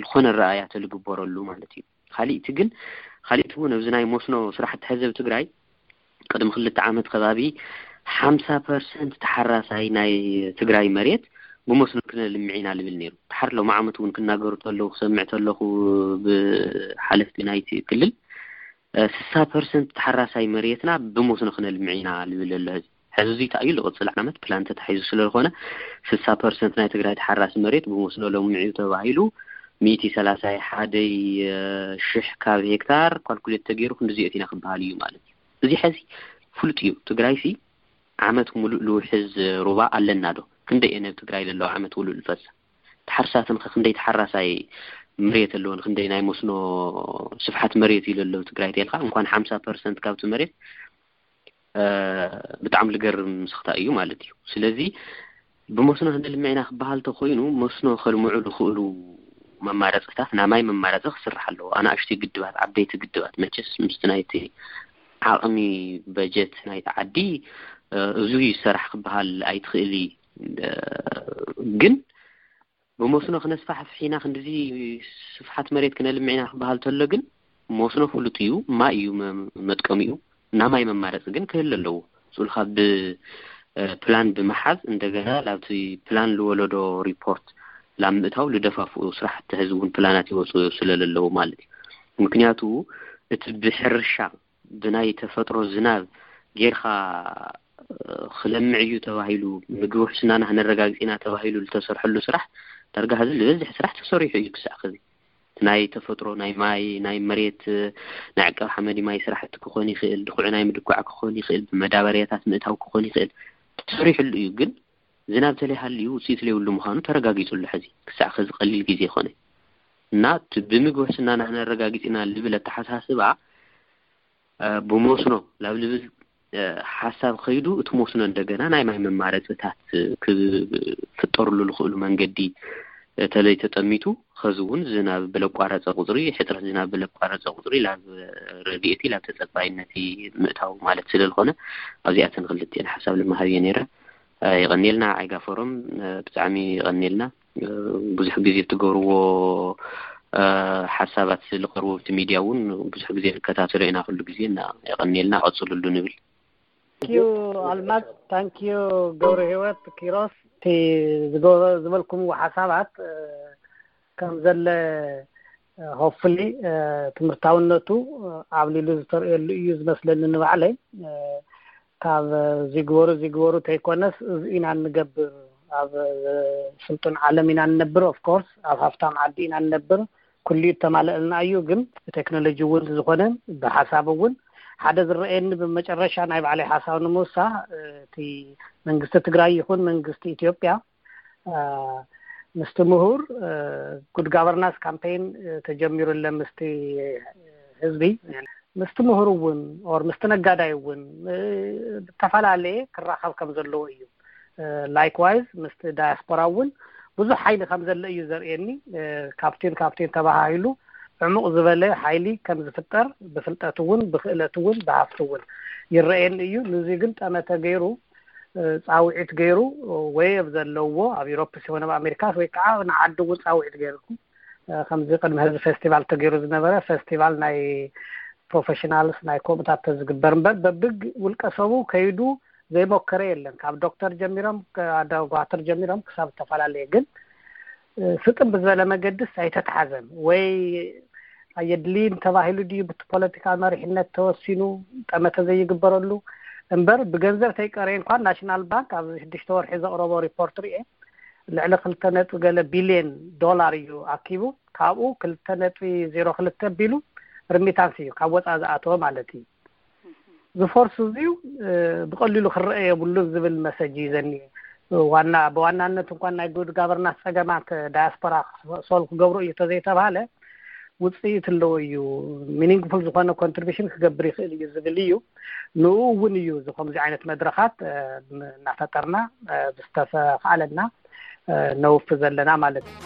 ዝኾነ ረኣያ ተልግበረሉ ማለት እዩ። ካሊእቲ ግን ካሊእቲ እውን ኣብዚ ናይ መስኖ ስራሕቲ ሕዚ ኣብ ትግራይ ቅድሚ ክልተ ዓመት ከባቢ ሓምሳ ፐርሰንት ተሓራሳይ ናይ ትግራይ መሬት ብመስኖ ክነልምዕ ኢና ልብል ነይሩ። ድሓር ሎም ዓመት እውን ክናገሩ ተለዉ ክሰምዕ ተለኹ ብሓለፍቲ ናይቲ ክልል ስሳ ፐርሰንት ተሓራሳይ መሬትና ብመስኖ ክነልምዕ ኢና ልብል ኣሎ። ሕዚ ሕዚ እዚ እንታይ እዩ ዝቕፅል ዓመት ፕላን ተታሒዙ ስለዝኾነ ስሳ ፐርሰንት ናይ ትግራይ ተሓራሲ መሬት ብመስኖ ለምዑ ተባሂሉ ሚእቲ ሰላሳ ሓደይ ሽሕ ካብ ሄክታር ካልኩሌት ተገይሩ ክንድዚ ኣእቲና ክበሃል እዩ ማለት እዩ። እዚ ሕዚ ፍሉጥ እዩ። ትግራይ ሲ ዓመት ሙሉእ ልውሕዝ ሩባ ኣለና ዶ? ክንደይ እየ ነብ ትግራይ ለለዋ ዓመት ሙሉእ ልፈሳ ተሓርሳትን ክንደይ ተሓራሳይ መሬት ኣለዎ ንክንደይ ናይ መስኖ ስፍሓት መሬት እዩ ለለው ትግራይ ተልካ እንኳን ሓምሳ ፐርሰንት ካብቲ መሬት ብጣዕሚ ልገርም ስኽታ እዩ ማለት እዩ። ስለዚ ብመስኖ ክንልምዕ ኢና ክበሃል ተኮይኑ መስኖ ከልምዑ ዝኽእሉ መማረፅታት ናይ ማይ መማረፂ ክስራሕ ኣለዎ። ኣናእሽተይ ግድባት ዓበይቲ ግድባት መቸስ ምስቲ ናይቲ ዓቕሚ በጀት ናይቲ ዓዲ እዙ ይሰራሕ ክበሃል ኣይትኽእል እዩ። ግን ብመስኖ ክነስፋሕፍሕ ኢና ክንድዚ ስፍሓት መሬት ክነልምዕ ኢና ክበሃል ተሎ ግን መስኖ ፍሉጥ እዩ። ማይ እዩ መጥቀሚኡ። ናይ ማይ መማረፂ ግን ክህሉ ኣለዎ። ስኡልካ ብፕላን ብምሓዝ እንደገና ላብቲ ፕላን ዝወለዶ ሪፖርት ላብ ምእታው ልደፋፍኡ ስራሕቲ ሕዚ እውን ፕላናት ይወፁ ስለለለዉ ማለት እዩ። ምክንያቱ እቲ ብሕርሻ ብናይ ተፈጥሮ ዝናብ ጌርካ ክለምዕ እዩ ተባሂሉ ምግቢ ውሕስናና ክነረጋግፅ ኢና ተባሂሉ ዝተሰርሐሉ ስራሕ ዳርጋ ሕዚ ዝበዝሕ ስራሕ ተሰሪሑ እዩ ክሳዕ ከዚ ናይ ተፈጥሮ ናይ ማይ ናይ መሬት ናይ ዕቀብ ሓመድ ማይ ስራሕቲ ክኾን ይኽእል ድኩዕ ናይ ምድኳዕ ክኾን ይኽእል ብመዳበርያታት ምእታው ክኾን ይኽእል ተሰሪሕሉ እዩ። ግን ዝናብ ተለይሃልዩ ውፅኢት ለይብሉ ምዃኑ ተረጋጊፁ ኣሎ። ሕዚ ክሳዕ ከዚ ቀሊል ግዜ ይኾነ እና እቲ ብምግቢ ውሕስናና ክነረጋግፅ ኢና ልብል ኣተሓሳስባ ብመስኖ ላብ ልብል ሓሳብ ከይዱ እቲ መስኖ እንደገና ናይ ማይ መማረፅታት ክፍጠርሉ ዝኽእሉ መንገዲ እተለይ ተጠሚቱ፣ ኸዚ እውን ዝናብ ብለቋረጸ ቁጽሪ፣ ሕጽረት ዝናብ ብለቋረጸ ቁጽሪ፣ ላብ ረድኤቲ፣ ላብ ተጸባይነቲ ምእታው ማለት ስለ ዝኾነ፣ ኣብዚኣተን ክልቲኤን ሓሳብ ልመሃብ እየ ነይረ። እ፣ የቐንየልና ዓይጋ ፎረም፣ እ፣ ብጣዕሚ የቐንየልና። እ፣ ብዙሕ ግዜ እትገብርዎ፣ እ፣ ሓሳባት ዝቐርቡ ኣብቲ ሚድያ እውን ብዙሕ ግዜ ንከታተሎ ኢና፣ ኩሉ ግዜ እና የቐንየልና፣ ቀጽሉሉ ንብል። ታንኪዩ ኣልማዝ፣ ታንኪዩ ገብረ ህይወት ኪሮስ። እቲ ዝገ-፣ ዝበልኩምዎ ሓሳባት፣ እ፣ ከም ዘለ፣ እ፣ ሆፕፉሊ፣ እ፣ ትምህርታውነቱ፣ እ፣ ኣብሊሉ ዝተርእየሉ እዩ ዝመስለኒ ንባዕለይ። እ፣ ካብ ዝግበሩ ዝግበሩ ተይኮነስ እዚ ኢና እንገብር። ኣብ ስልጡን ዓለም ኢና እንነብር፣ ኦፍኮርስ ኣብ ሃፍታም ዓዲ ኢና እንነብር። ኩሉ እተማለእልና እዩ፣ ግን ብቴክኖሎጂ እውን ዝኾነ ብሓሳብ እውን ሓደ ዝረኣየኒ ብመጨረሻ ናይ ባዕለይ ሓሳብ ንምውሳኽ፣ እ፣ እቲ መንግስቲ ትግራይ ይኹን መንግስቲ ኢትዮጵያ፣ እ፣ ምስቲ ምሁር፣ እ፣ ጉድ ጋቨርናንስ ካምፔይን፣ እ፣ ተጀሚሩ ኣሎ ምስቲ ህዝቢ፣ ምስቲ ምሁር እውን ኦር ምስቲ ነጋዳይ እውን፣ እ፣ ብተፈላለየ ክራኸብ ከም ዘለዎ እዩ። እ፣ ላይክዋይዝ ምስቲ ዳያስፖራ እውን ብዙሕ ሓይሊ ከም ዘሎ እዩ ዘርእየኒ። እ፣ ካብቲን ካብቲን ተባሃሂሉ ዕሙቕ ዝበለ ሓይሊ ከም ዝፍጠር ብፍልጠት እውን ብክእለት እውን ብሃፍቲ እውን ይረኣየኒ እዩ። ንዚ ግን ጠመተ ገይሩ፣ እ፣ ፃውዒት ገይሩ ወይ ኣብ ዘለዎ ኣብ ዩሮፕ ሲሆን ኣብ ኣሜሪካ ወይ ከዓ ንዓዲ እውን ፃውዒት ገይርኩም፣ እ፣ ከምዚ ቅድሚ ህዝቢ ፌስቲቫል ተገይሩ ዝነበረ ፌስቲቫል ናይ ፕሮፌሽናልስ ናይ ከምኡታት ተዝግበር እምበር በብግ ውልቀ ሰቡ ከይዱ ዘይሞከረ የለን። ካብ ዶክተር ጀሚሮም፣ ዶክተር ጀሚሮም ክሳብ ዝተፈላለየ ግን፣ እ፣ ስጥም ብዝበለ መገድስ ኣይተትሓዘን ወይ ኣየድልይን ተባሂሉ ድዩ ብቲ ፖለቲካል መሪሕነት ተወሲኑ ጠመተ ዘይግበረሉ እምበር ብገንዘብ ተይቀረየ እንኳን ናሽናል ባንክ ኣብዚ ሽዱሽተ ወርሒ ዘቕረቦ ሪፖርት ርኤ ልዕሊ ክልተ ነጥቢ ገለ ቢልየን ዶላር እዩ ኣኪቡ። ካብኡ ክልተ ነጥቢ ዜሮ ክልተ ቢሉ ርሚታንስ እዩ ካብ ወፃ ዝኣተወ ማለት እዩ። ዝፎርስ እዚዩ፣ እ፣ ብቐሊሉ ክረአ የብሉን ዝብል መሰጅ እዩ ዘኒ። ዋና፣ ብዋናነት እንኳን ናይ ጉድ ጋቨርናንስ ፀገማት ዳያስፖራ ሶልቭ ክገብሩ እዩ ተዘይተባሃለ ውፅኢት ኣለዎ እዩ፣ ሚኒንግፉል ዝኾነ ኮንትሪቢሽን ክገብር ይኽእል እዩ ዝብል እዩ። ንኡ እውን እዩ እዚ ከምዚ ዓይነት መድረኻት፣ እ፣ እናፈጠርና፣ እ፣ ብዝተፈዓለና፣ እ፣ ነውፍ ዘለና ማለት እዩ።